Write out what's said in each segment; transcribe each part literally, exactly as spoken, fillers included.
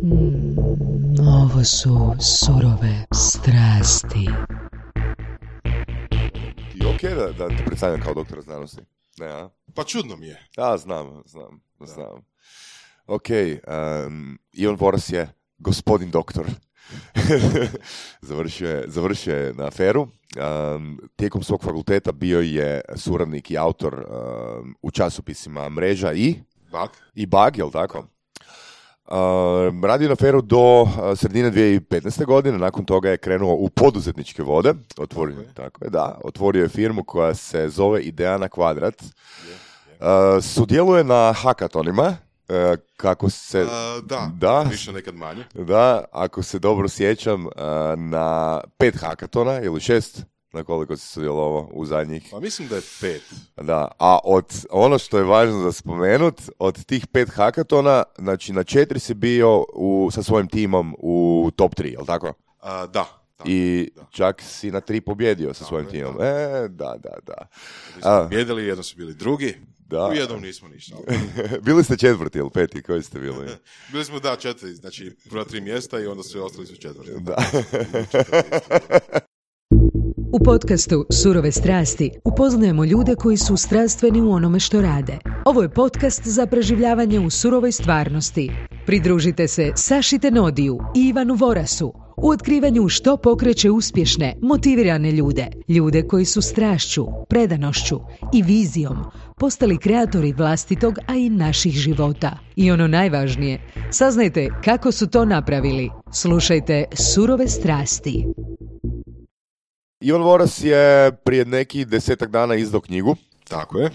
Mm, ovo su surove strasti. Ti ok da, da te predstavljam kao doktora znanosti? Ne, a? Pa čudno mi je. Ja, znam, znam, znam. Ok, um, Ivan Voras je gospodin doktor. završio, je, završio je na FER-u. Um, tijekom svog fakulteta bio je suradnik i autor um, u časopisima Mreža i Bug. I Bug, jel tako? Uh, radio na FER-u do uh, sredine dvije tisuće petnaeste. godine, nakon toga je krenuo u poduzetničke vode, otvorio, tako je. Tako je, da, otvorio je firmu koja se zove Ideja na kvadrat. Uh, sudjeluje na hakatonima, uh, kako se... Uh, da, da, više nekad manje. Da, ako se dobro sjećam, uh, na pet hakatona ili šest, na koliko se sudjelovao u zadnjih. Pa mislim da je pet. Da, a od ono što je važno za spomenut, od tih pet hakatona, znači na četiri si bio u, sa svojim timom u top tri, jel tako? Uh, da. Da, I da. čak si na tri pobjedio sa Tako svojim je, timom. da. E, da, da, da. Mi smo pobjedili, jednom su bili drugi, Da. u jednom nismo ništa. Ali... Bili ste četvrti ili peti, koji ste bili? Bili smo, da, četiri, znači prva tri mjesta i onda su ostali su četvrti. Da. U podcastu Surove strasti upoznajemo ljude koji su strastveni u onome što rade. Ovo je podcast za preživljavanje u surovoj stvarnosti. Pridružite se Saši Tenodiju i Ivanu Vorasu u otkrivanju što pokreće uspješne, motivirane ljude. Ljude koji su strašću, predanošću i vizijom postali kreatori vlastitog, a i naših života. I ono najvažnije, saznajte kako su to napravili. Slušajte Surove strasti. Ivan Voras je prije nekih desetak dana izdao knjigu. Tako je.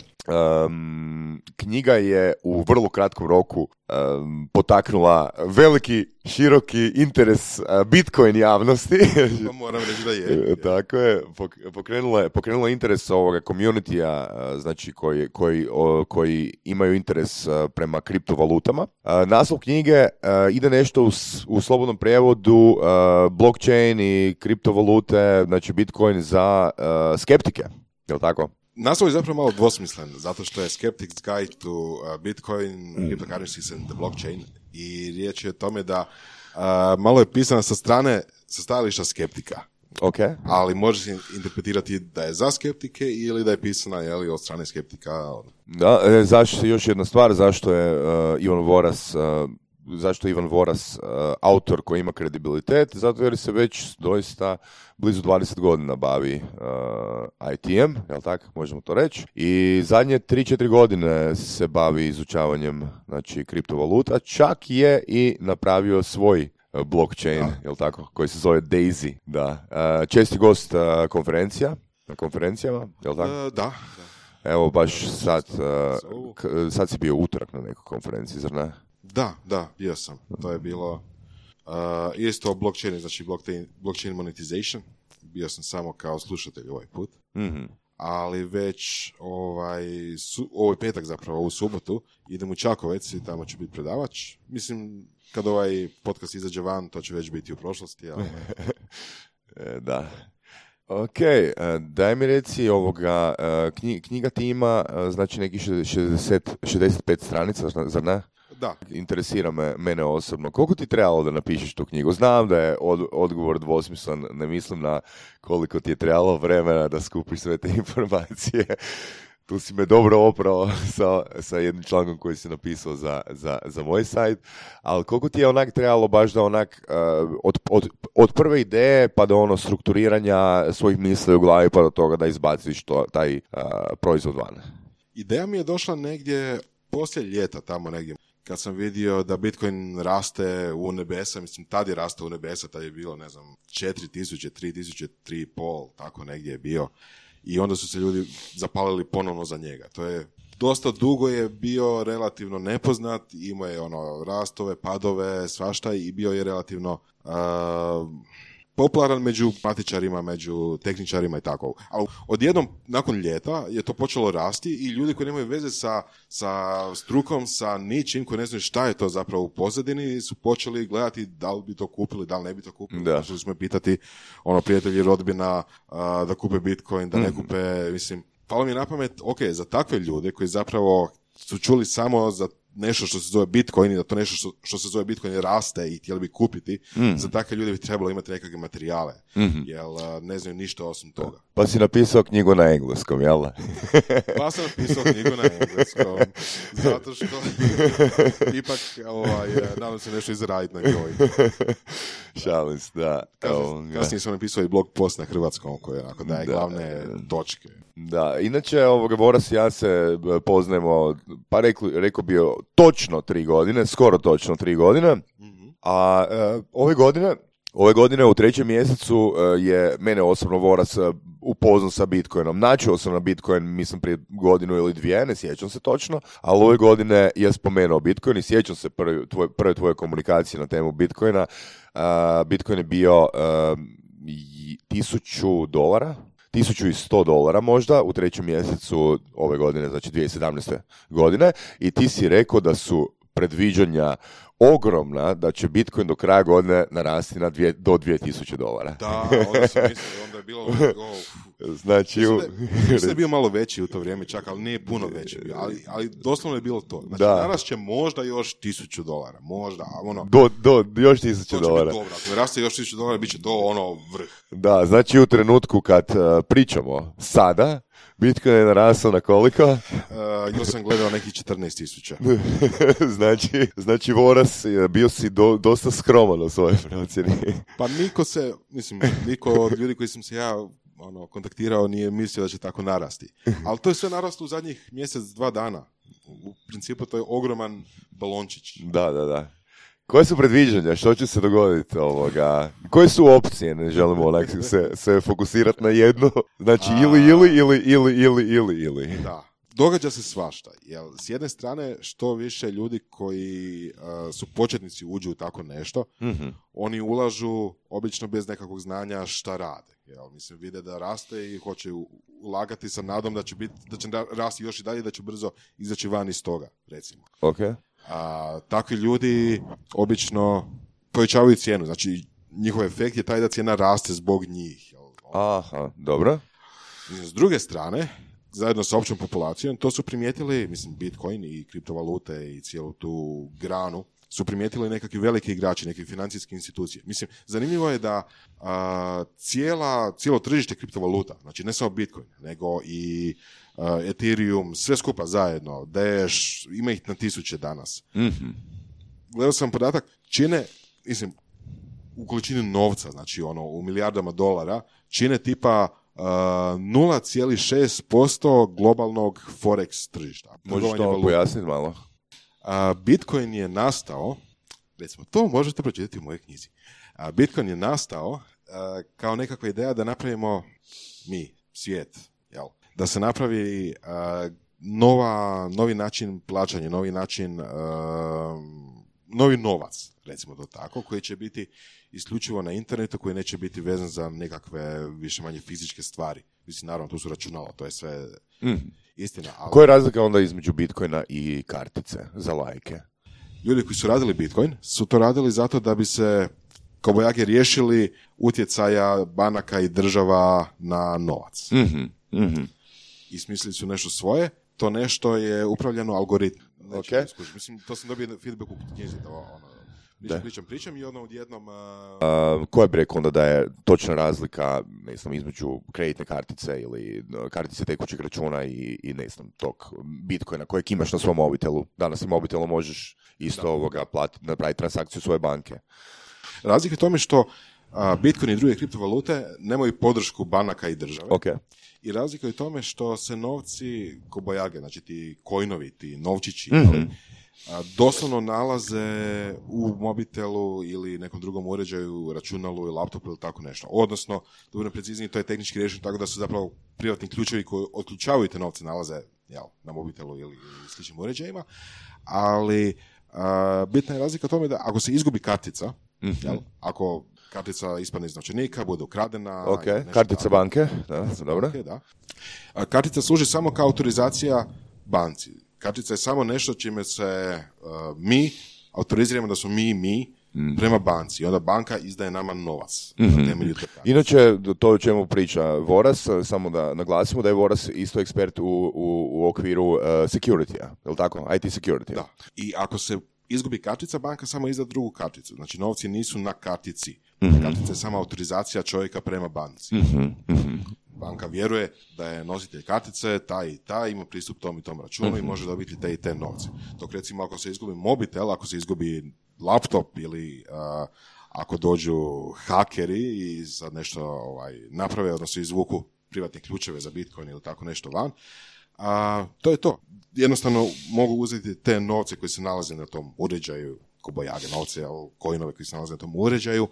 Um, knjiga je u vrlo kratkom roku um, potaknula veliki, široki interes uh, Bitcoin javnosti. Pa moram reći da je. Tako je, pok- pokrenula je, pokrenula interes ovoga community-a, uh, znači koji, koji, o, koji imaju interes uh, prema kriptovalutama. Uh, naslov knjige uh, ide nešto u, u slobodnom prijevodu uh, blockchain i kriptovalute, znači Bitcoin za uh, skeptike, je li tako? Naslov je zapravo malo dvosmislen, zato što je Skeptic's Guide to uh, Bitcoin, mm. Cryptocurrencies and the Blockchain, i riječ je o tome da uh, malo je pisana sa strane, sa stajališta skeptika. Okay. Ali može se interpretirati da je za skeptike ili da je pisana, jeli, od strane skeptika. Da, e, zašto, još jedna stvar, zašto je uh, Ivan Voras... Uh, zašto je Ivan Voras uh, autor koji ima kredibilitet? Zato jer se već doista blizu dvadeset godina bavi uh, I T em, jel tako, možemo to reći. I zadnje tri četiri godine se bavi izučavanjem, znači, kriptovaluta. Čak je i napravio svoj uh, blockchain, da. Jel tako, koji se zove Daisy. Da. Uh, česti gost uh, konferencija, na konferencijama, jel tako? Uh, da, da. Evo, baš sad, uh, k- sad si bio utorak na nekoj konferenciji, zar ne? Da, da, bio sam. To je bilo uh, isto blockchain, znači blockchain, blockchain monetization. Bio sam samo kao slušatelj ovaj put. Mm-hmm. Ali već ovaj, su, ovaj petak zapravo, u subotu, idem u Čakovec i tamo će biti predavač. Mislim, kad ovaj podcast izađe van, to će već biti u prošlosti. Ali... da. Ok, daj mi reci ovoga, knjiga ti ima, znači nekih šezdeset, šezdeset pet stranica, zar ne? Da. Interesira me, mene osobno. Koliko ti trebalo da napišeš tu knjigu? Znam da je od, odgovor dvosmislen, ne mislim na koliko ti je trebalo vremena da skupiš sve te informacije. Tu si me dobro oprao sa, sa jednim člankom koji si napisao za, za, za moj sajt, ali koliko ti je onak trebalo baš da onak uh, od, od, od prve ideje pa do ono strukturiranja svojih misli u glavi pa do toga da izbaciš to, taj uh, proizvod van? Ideja mi je došla negdje poslije ljeta, tamo negdje. Kad sam vidio da Bitcoin raste u nebesa, mislim, tad je rastao u nebesa, tad je bilo, ne znam, četiri tisuće, tri tisuće, tri i pol, tako negdje je bio. I onda su se ljudi zapalili ponovno za njega. To je, dosta dugo je bio relativno nepoznat, imao je ono rastove, padove, svašta i bio je relativno uh, popularan među matičarima, među tehničarima i tako. Ali odjednom, nakon ljeta, je to počelo rasti i ljudi koji nemaju veze sa, sa strukom, sa ničim, koji ne znaju šta je to zapravo u pozadini, su počeli gledati da li bi to kupili, da li ne bi to kupili. Da. Počeli smo pitati ono, prijatelji, rodbina, uh, da kupe Bitcoin, da ne mm-hmm. kupe, mislim, palo mi je na pamet, ok, za takve ljude koji zapravo su čuli samo za nešto što se zove Bitcoin i da to nešto što, što se zove Bitcoin raste i htjeli bi kupiti, mm. za takve ljude bi trebalo imati nekakve materijale, mm-hmm. jer ne znaju ništa osim toga. Pa si napisao knjigu na engleskom, jel da? Pa sam napisao knjigu na engleskom, zato što ipak ovaj, nadam se nešto izraditi na njoj. Šalim se, da. Kasnije, kasnije sam napisao i blog post na hrvatskom koji onako daje da, glavne točke. Da, inače ovoga Voras i ja se poznajemo, pa rekli, rekao bi točno tri godine, skoro točno tri godine, mm-hmm. a uh, ove godine, ove godine u trećem mjesecu uh, je mene osobno Voras uh, upoznao sa Bitcoinom. Načuo sam na Bitcoin, mislim, prije godinu ili dvije, ne sjećam se točno, ali ove godine je spomenuo Bitcoin i sjećam se prve tvoje, prve tvoje komunikacije na temu Bitcoina. Uh, Bitcoin je bio uh, tisuću dolara, tisuću sto dolara možda u trećem mjesecu ove godine, znači dvije tisuće sedamnaeste. godine, i ti si rekao da su predviđanja ogromna da će Bitcoin do kraja godine narasti na dvije, do dvije tisuće dolara. Da, onda sam mislio, onda je bilo... Oh. Znači, mislim, da, mislim da je bio malo veći u to vrijeme čak, ali nije puno veći bio, ali, ali doslovno je bilo to. Znači, da. Danas će možda još tisuću dolara, možda, ono... Do, do, još tisuću dolara. Dobro, ako raste još tisuću dolara, bit će to ono vrh. Da, znači u trenutku kad uh, pričamo sada, Bitcoin je narasao na koliko? Uh, još sam gledao nekih četrnaest tisuća. znači, znači Voras, bio si do, dosta skroman u svojoj procjeni. Pa niko se, mislim, niko od ljudi koji sam se ja ono, kontaktirao nije mislio da će tako narasti. Ali to je sve naraslo u zadnjih mjesec, dva dana. U principu to je ogroman balončić. Da, da, da. Koje su predviđanja? Što će se dogoditi ovoga? Koje su opcije? Ne želimo onak se, se fokusirati na jednu. Znači A... ili, ili, ili, ili, ili, ili, ili. Da. Događa se svašta. Jer s jedne strane, što više ljudi koji uh, su početnici uđu u tako nešto, mm-hmm. oni ulažu obično bez nekakvog znanja šta rade. Jel, mislim, vide da raste i hoće ulagati sa nadom da će, biti, da će rasti još i dalje, da će brzo izaći van iz toga, recimo. Okay. A takvi ljudi obično povećavaju cijenu, znači njihov efekt je taj da cijena raste zbog njih. Jel? Aha, dobro. S druge strane, zajedno sa općom populacijom, to su primijetili, mislim, Bitcoin i kriptovalute i cijelu tu granu, su primijetili nekakvi veliki igrači, neke financijske institucije. Mislim, zanimljivo je da a, cijela, cijelo tržište kriptovaluta, znači ne samo Bitcoin, nego i a, Ethereum, sve skupa zajedno, Dash, ima ih na tisuće danas. Mm-hmm. Gledao sam podatak, čine, mislim, u količini novca, znači ono, u milijardama dolara, čine tipa Uh, nula zarez šest posto globalnog forex tržišta. Možeš to pojasniti malo? Uh, Bitcoin je nastao, recimo, to možete pročitati u mojoj knjizi. Uh, Bitcoin je nastao uh, kao nekakva ideja da napravimo mi, svijet, jel? Da se napravi uh, nova, novi način plaćanja, novi način, uh, novi novac, recimo to tako, koji će biti isključivo na internetu, koji neće biti vezan za nekakve više manje fizičke stvari. Mislim, naravno, tu su računala, to je sve mm. istina. Ali... Koja je razlika onda između Bitcoina i kartice za lajke? Ljudi koji su radili Bitcoin su to radili zato da bi se kobajagi riješili utjecaja banaka i država na novac. Mm-hmm. Mm-hmm. I smislili su nešto svoje, to nešto je upravljeno algoritmom. Okay. Mislim, to sam dobio feedback u knjizi, da ono, pričam, pričam, pričam i ono odjednom... Uh... Uh, koja bi rekao onda da je točna razlika, ne znam, između kreditne kartice ili kartice tekućeg računa i, i ne znam, tog Bitcoina kojeg imaš na svom mobitelu. Danas i mobitelu možeš isto da. ovoga platiti, napraviti transakciju svoje banke. Razlika je tome što uh, Bitcoin i druge kriptovalute nemaju podršku banaka i države. Okay. I razlika je u tome što se novci kobajage, znači ti kojnovi, ti novčići, mm-hmm. ali, a, doslovno nalaze u mobitelu ili nekom drugom uređaju, računalu i laptopu ili tako nešto. Odnosno, da budem precizniji, to je tehnički rješeno tako da su zapravo privatni ključevi koji otključavaju te novce nalaze jel, na mobitelu ili, ili sličnim uređajima, ali a, bitna je razlika u tome da ako se izgubi kartica, mm-hmm. jel, ako kartica ispadne iz novčanika, bude ukradena. Ok, kartica tako. Banke, da, dobro. Okay, da. A kartica služi samo kao autorizacija banci. Kartica je samo nešto čime se uh, mi autoriziramo da smo mi mi mm. prema banci. I onda banka izdaje nama novac mm-hmm. na temelju te kartice. Inače, to o čemu priča Voras, samo da naglasimo da je Voras isto ekspert u, u, u okviru uh, security-a, je li tako? I T security. Da. I ako se izgubi kartica, banka samo izda drugu karticu. Znači, novci nisu na kartici. Mm-hmm. Kartica je samo autorizacija čovjeka prema banci. Mm-hmm. Mm-hmm. Banka vjeruje da je nositelj kartice taj i taj, ima pristup tom i tom računu mm-hmm. i može dobiti te i te novce. Dok recimo ako se izgubi mobitel, ako se izgubi laptop ili uh, ako dođu hakeri i sad nešto ovaj, naprave, odnosno izvuku privatne ključeve za Bitcoin ili tako nešto van, uh, to je to. Jednostavno mogu uzeti te novce koji se nalaze na tom uređaju, kobojage novce, coinove koji se nalaze na tom uređaju,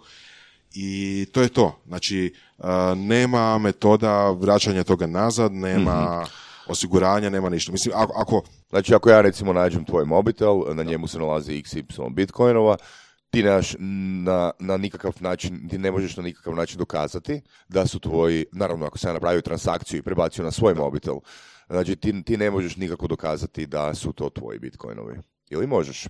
i to je to. Znači, uh, nema metoda vraćanja toga nazad, nema mm-hmm. osiguranja, nema ništa. Mislim, ako, ako... Znači, ako ja recimo nađem tvoj mobitel, na njemu se nalazi iks ipsilon bitcoinova, ti nemaš na, na nikakav način, ti ne možeš na nikakav način dokazati da su tvoji, naravno ako sam ja napravio transakciju i prebacio na svoj da. mobitel, znači ti, ti ne možeš nikako dokazati da su to tvoji bitcoinovi. Ili možeš?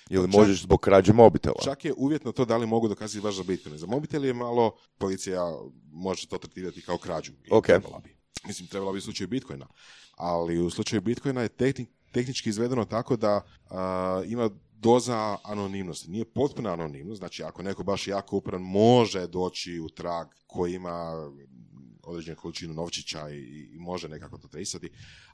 Ili čak, možeš zbog krađe mobitela? Čak je uvjetno to da li mogu dokazati baš za Bitcoin. Za mobitel je malo, policija može to tretirati kao krađu. Okay. Trebala bi. Mislim, trebala bi u slučaju Bitcoina. Ali u slučaju Bitcoina je tehni, tehnički izvedeno tako da uh, ima doza anonimnosti. Nije potpuna anonimnost. Znači, ako neko baš jako upran može doći u trag koji ima određenu količinu novčića i, i može nekako to tresati.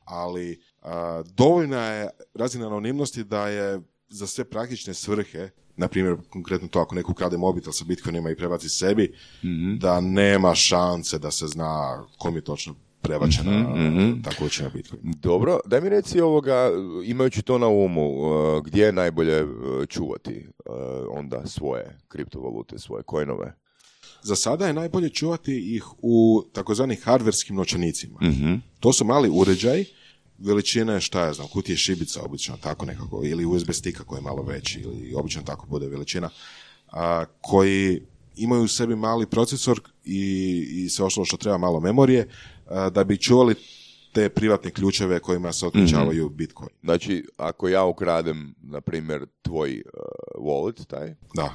Ali uh, dovoljna je razina anonimnosti da je za sve praktične svrhe, na primjer, konkretno to ako neko ukrade mobitel sa Bitcoinima i prebaci sebi, mm-hmm. da nema šanse da se zna kom je točno prebačena mm-hmm. ta količina Bitcoina. Dobro, daj mi reci ovoga, imajući to na umu, uh, gdje je najbolje uh, čuvati uh, onda svoje kriptovalute, svoje coinove? Za sada je najbolje čuvati ih u takozvanim hardverskim novčanicima. Mm-hmm. To su mali uređaji, veličine, šta ja znam, kutije šibica obično tako nekako, ili U S B stika koji je malo veći, ili obično tako bude veličina, a, koji imaju u sebi mali procesor i, i sve ostalo što treba malo memorije, a, da bi čuvali te privatne ključeve kojima se otključavaju mm-hmm. Bitcoin. Znači, ako ja ukradem, na primjer, tvoj uh, wallet, taj, da.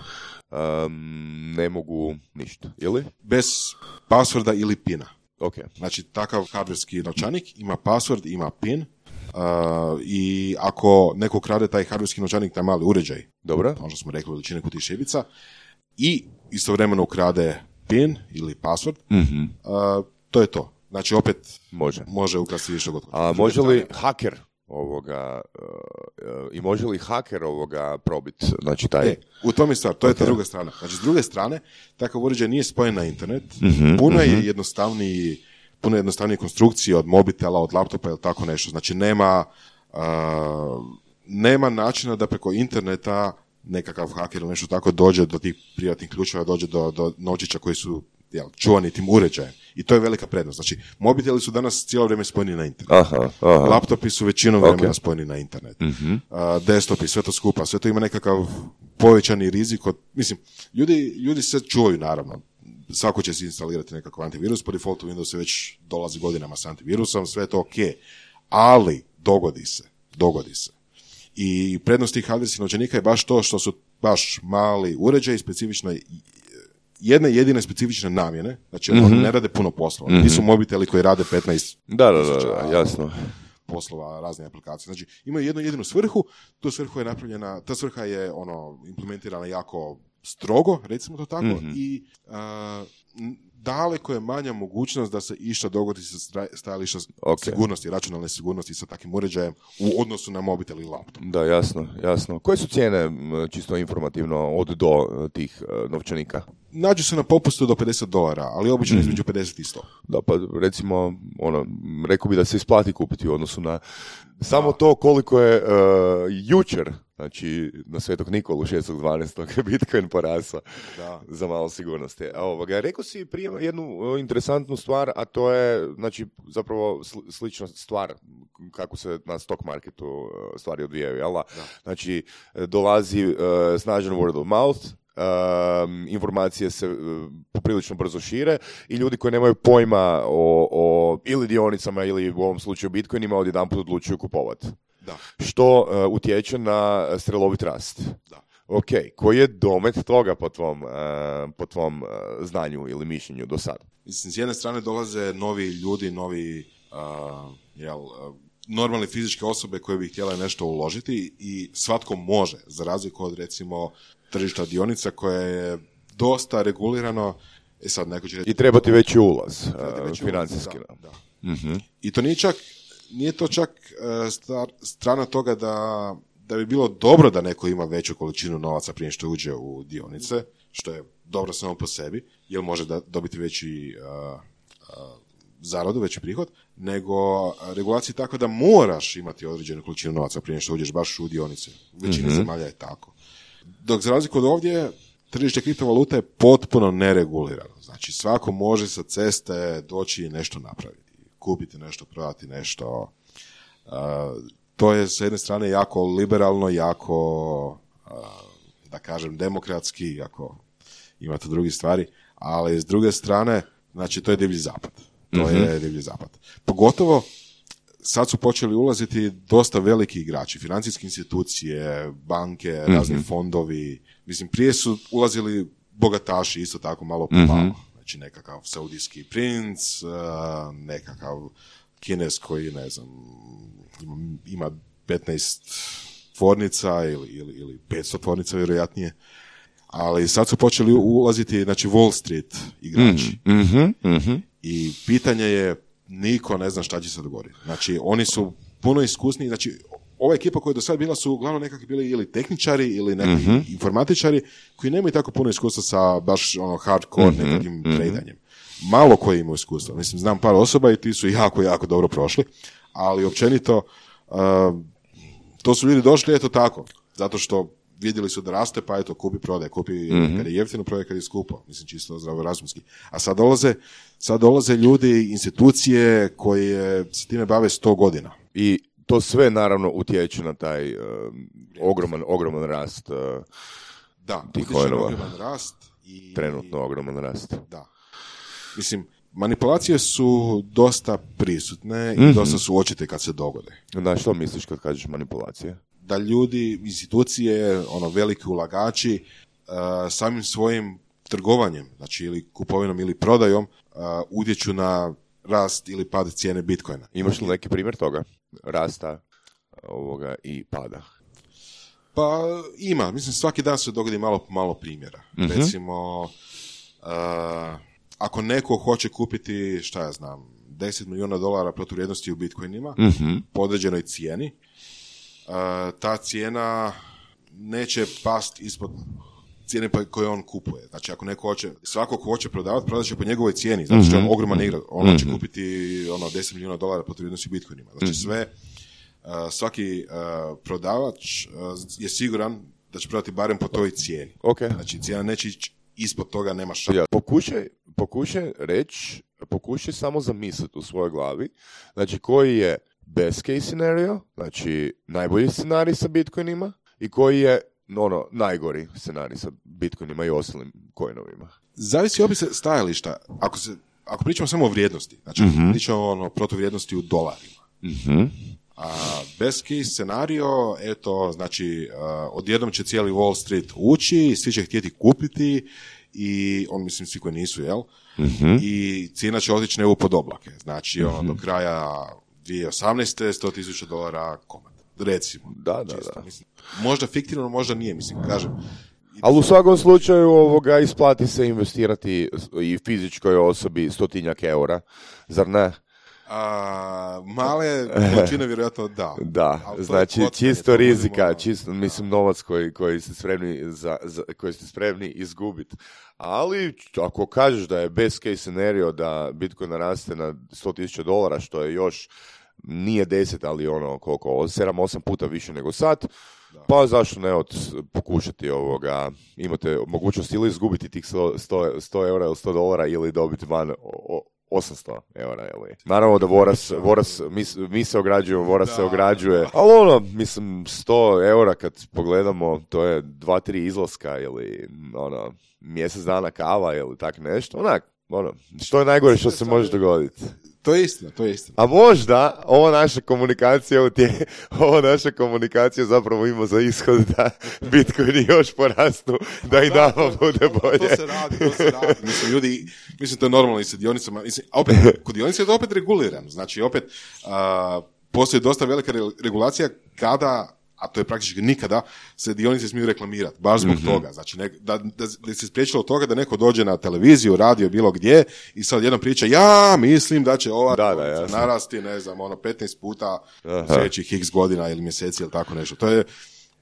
Um, ne mogu ništa, ili? Bez passworda ili pina. Okay. Znači, takav hardverski novčanik ima password, ima pin, uh, i ako neko krade taj hardverski novčanik, taj mali uređaj, dobro, ono što smo rekli, veličine kutije šibica, i istovremeno ukrade pin ili password, mm-hmm. uh, to je to. Znači, opet može, može ukrasti što god. A može li haker ovoga, uh, i može li haker ovoga probiti, znači taj... E, u tom je stvar, to okay. je ta druga strana. Znači, s druge strane, takav uređaj nije spojen na internet, mm-hmm, puno mm-hmm. je jednostavniji, puno jednostavnije konstrukcije od mobitela, od laptopa ili tako nešto. Znači, nema, uh, nema načina da preko interneta nekakav haker ili nešto tako dođe do tih privatnih ključeva, dođe do, do novčića koji su jel, čuvani tim uređajem. I to je velika prednost. Znači, mobiteli su danas cijelo vrijeme spojeni na internet. Aha, aha. Laptopi su većinom vremena okay. spojeni na internet. Mm-hmm. Uh, desktopi, sve to skupa. Sve to ima nekakav povećani rizik. Od, mislim, ljudi, ljudi se čuvaju, naravno. Svako će si instalirati nekakav antivirus. Po defaultu Windows se već dolazi godinama s antivirusom. Sve je to ok. Ali, dogodi se. Dogodi se. I prednost tih hardverskih novčanika je baš to što su baš mali uređaji, specifično jedne jedine specifične namjene, znači mm-hmm. oni ne rade puno poslova. Mm-hmm. Nisu mobiteli koji rade petnaest da, da, da, da, jasno. poslova, razne aplikacije. Znači, imaju jednu jedinu svrhu, tu svrhu je napravljena, ta svrha je ono implementirana jako strogo, recimo to tako, mm-hmm. i uh, daleko je manja mogućnost da se išta dogodi sa stajališta okay. sigurnosti, računalne sigurnosti sa takvim uređajem u odnosu na mobitel i laptop. Da, jasno, jasno. Koje su cijene, čisto informativno, od do tih uh, novčanika? Nađu se na popustu do pedeset dolara, ali obično mm. između pedeset i sto. Da, pa recimo, ono, rekao bi da se isplati kupiti u odnosu na samo da. To koliko je uh, jučer, znači na Svetog Nikolu šestog dvanaestog Bitcoin porasao za malo sigurnosti. A ovoga, rekao si prije jednu interesantnu stvar, a to je, znači, zapravo slična stvar kako se na stock marketu stvari odvijaju, jel da? Znači, dolazi uh, snažan word of mouth, Um, informacije se uh, poprilično brzo šire i ljudi koji nemaju pojma o, o ili dionicama ili u ovom slučaju Bitcoinima odjedanput odlučuju kupovati. Da. Što uh, utječe na strelovit rast. Da. Ok, koji je domet toga po tvom, uh, po tvom uh, znanju ili mišljenju do sada? Mislim, s jedne strane dolaze novi ljudi, novi uh, jel, uh, normalne fizičke osobe koje bi htjele nešto uložiti i svatko može, za razliku od recimo tržišta dionica koje je dosta regulirano. E sad, neko će reći, I treba ti veći ulaz, veći uh, financijski. ulaz, da, da. Mm-hmm. I to nije čak, nije to čak uh, star, strana toga da, da bi bilo dobro da neko ima veću količinu novaca prije što uđe u dionice, što je dobro samo po sebi, jer može da, dobiti veći uh, uh, zaradu, veći prihod, nego regulacija tako da moraš imati određenu količinu novaca prije što uđeš baš u dionice. U većini mm-hmm. zemalja je tako. Dok za razliku od ovdje, tržište kriptovaluta je potpuno neregulirano. Znači, svako može sa ceste doći i nešto napraviti. Kupiti nešto, prodati nešto. Uh, to je s jedne strane jako liberalno, jako, uh, da kažem, demokratski, ako imate druge stvari, ali s druge strane, znači, to je divlji zapad. To mm-hmm. je divlji zapad. Pogotovo, sad su počeli ulaziti dosta veliki igrači, financijske institucije, banke, mm-hmm. razni fondovi. Mislim, prije su ulazili bogataši, isto tako malo po malo. Mm-hmm. Znači, nekakav saudijski princ, nekakav Kines koji, ne znam, ima, ima petnaest tvornica ili, ili, ili petsto tvornica, vjerojatnije. Ali sad su počeli ulaziti, znači, Wall Street igrači. Mm-hmm. Mm-hmm. I pitanje je, niko ne zna šta će se dogoditi. Znači, oni su puno iskusniji, znači, ova ekipa koja je do sada bila su uglavnom nekakvi bili ili tehničari ili neki mm-hmm. informatičari koji nemaju tako puno iskustva sa baš ono hardcore mm-hmm. nekakvim mm-hmm. tradanjem. Malo koji imaju iskustva. Mislim, znam par osoba i ti su jako, jako dobro prošli, ali općenito uh, to su ljudi došli, eto tako, zato što vidjeli su da raste, pa eto, kupi, prodaj, kupi mm-hmm. kad je jeftino, prodaj kad je skupo. Mislim, čisto zdravorazumski. A sad dolaze, sad dolaze ljudi, institucije koje se time bave sto godina. I to sve naravno utječe na taj uh, ogroman, ogroman rast uh, da, tih coinova. Ogroman rast. I, Trenutno ogroman rast. Da. Mislim, manipulacije su dosta prisutne mm-hmm. i dosta su očite kad se dogode. Da, što misliš kad kažeš manipulacije? Da ljudi, institucije, ono, veliki ulagači, uh, samim svojim trgovanjem, znači ili kupovinom ili prodajom, uh, utječu na rast ili pad cijene Bitcoina. Imaš li neki primjer toga? Rasta ovoga i pada? Pa ima. Mislim, svaki dan se dogodi malo po malo primjera. Mm-hmm. Recimo, uh, ako neko hoće kupiti, šta ja znam, deset milijuna dolara protuvrijednosti u Bitcoinima, mm-hmm. po određenoj cijeni, Uh, ta cijena neće past ispod cijene koje on kupuje. Znači, ako neko hoće, svako ko hoće prodavati, prodat će po njegovoj cijeni, zato što je on ogroman igra. On mm-hmm. će kupiti ono, deset milijuna dolara po vrijednosti u Bitcoinima. Znači, sve, uh, svaki uh, prodavač uh, je siguran da će prodati barem po toj cijeni. Okay. Znači, cijena neće ići ispod toga, nema šta. Ja, pokušaj, pokušaj reći, pokušaj samo zamisliti u svojoj glavi, znači, koji je best case scenario, znači najbolji scenarij sa Bitcoinima i koji je ono, najgori scenarij sa Bitcoinima i ostalim coinovima. Zavisi opet stajališta. Ako, se, ako pričamo samo o vrijednosti, znači mm-hmm. pričamo ono, protuvrijednosti u dolarima. Mm-hmm. A best case scenario, eto, znači uh, odjednom će cijeli Wall Street ući, svi će htjeti kupiti i on, mislim, svi koji nisu, jel? Mm-hmm. I cijena će otići nebu pod oblake. Znači, ono, mm-hmm. do kraja dvije tisuće osamnaeste sto tisuća dolara komad. Recimo. Da, da, čisto, da. Mislim, možda fiktivno, možda nije, mislim, kažem. Ali u svakom slučaju ovoga isplati se investirati i fizičkoj osobi stotinjak eura, zar ne? A, male količine vjerojatno da. Da, znači čisto rizika, budemo... čisto, mislim, novac koji, koji ste spremni za, za, koji ste spremni izgubiti. Ali ako kažeš da je best case scenario da Bitcoin naraste na sto tisuća dolara, što je još nije deset, ali ono koliko, sedam osam puta više nego sad, da. Pa zašto ne od pokušati ovoga, imate mogućnost ili izgubiti tih sto eura ili sto dolara ili dobiti van o, osamsto eura, ili. Naravno da Voras, Voras mi, mi se ograđujemo, Voras da, se ograđuje, da. Ali ono, mislim, sto eura kad pogledamo, to je dva, tri izlaska ili ono, mjesec dana kava ili tak nešto, onak, ono, što je najgore što se može dogoditi? To je istina, to je istina. A možda ova naša komunikacija u tije, ova naša komunikacija zapravo ima za ishod da Bitcoin još porastu, da i nama bude bolje. To se radi, to se radi. Mislim, ljudi, mislim, to je normalno i sa dionicama. Mislim, a opet, kod dionica je to opet regulirano. Znači, opet, uh, postoji dosta velika regulacija kada, a to je praktički nikada, se dionice smiju reklamirati, baš zbog mm-hmm. toga. Znači, ne, da, da, da se spriječilo od toga da neko dođe na televiziju, radio, bilo gdje i sad jednom priča, ja mislim da će ova da, da, narasti, ne znam, ono, petnaest puta u sljedećih x godina ili mjeseci ili tako nešto. To je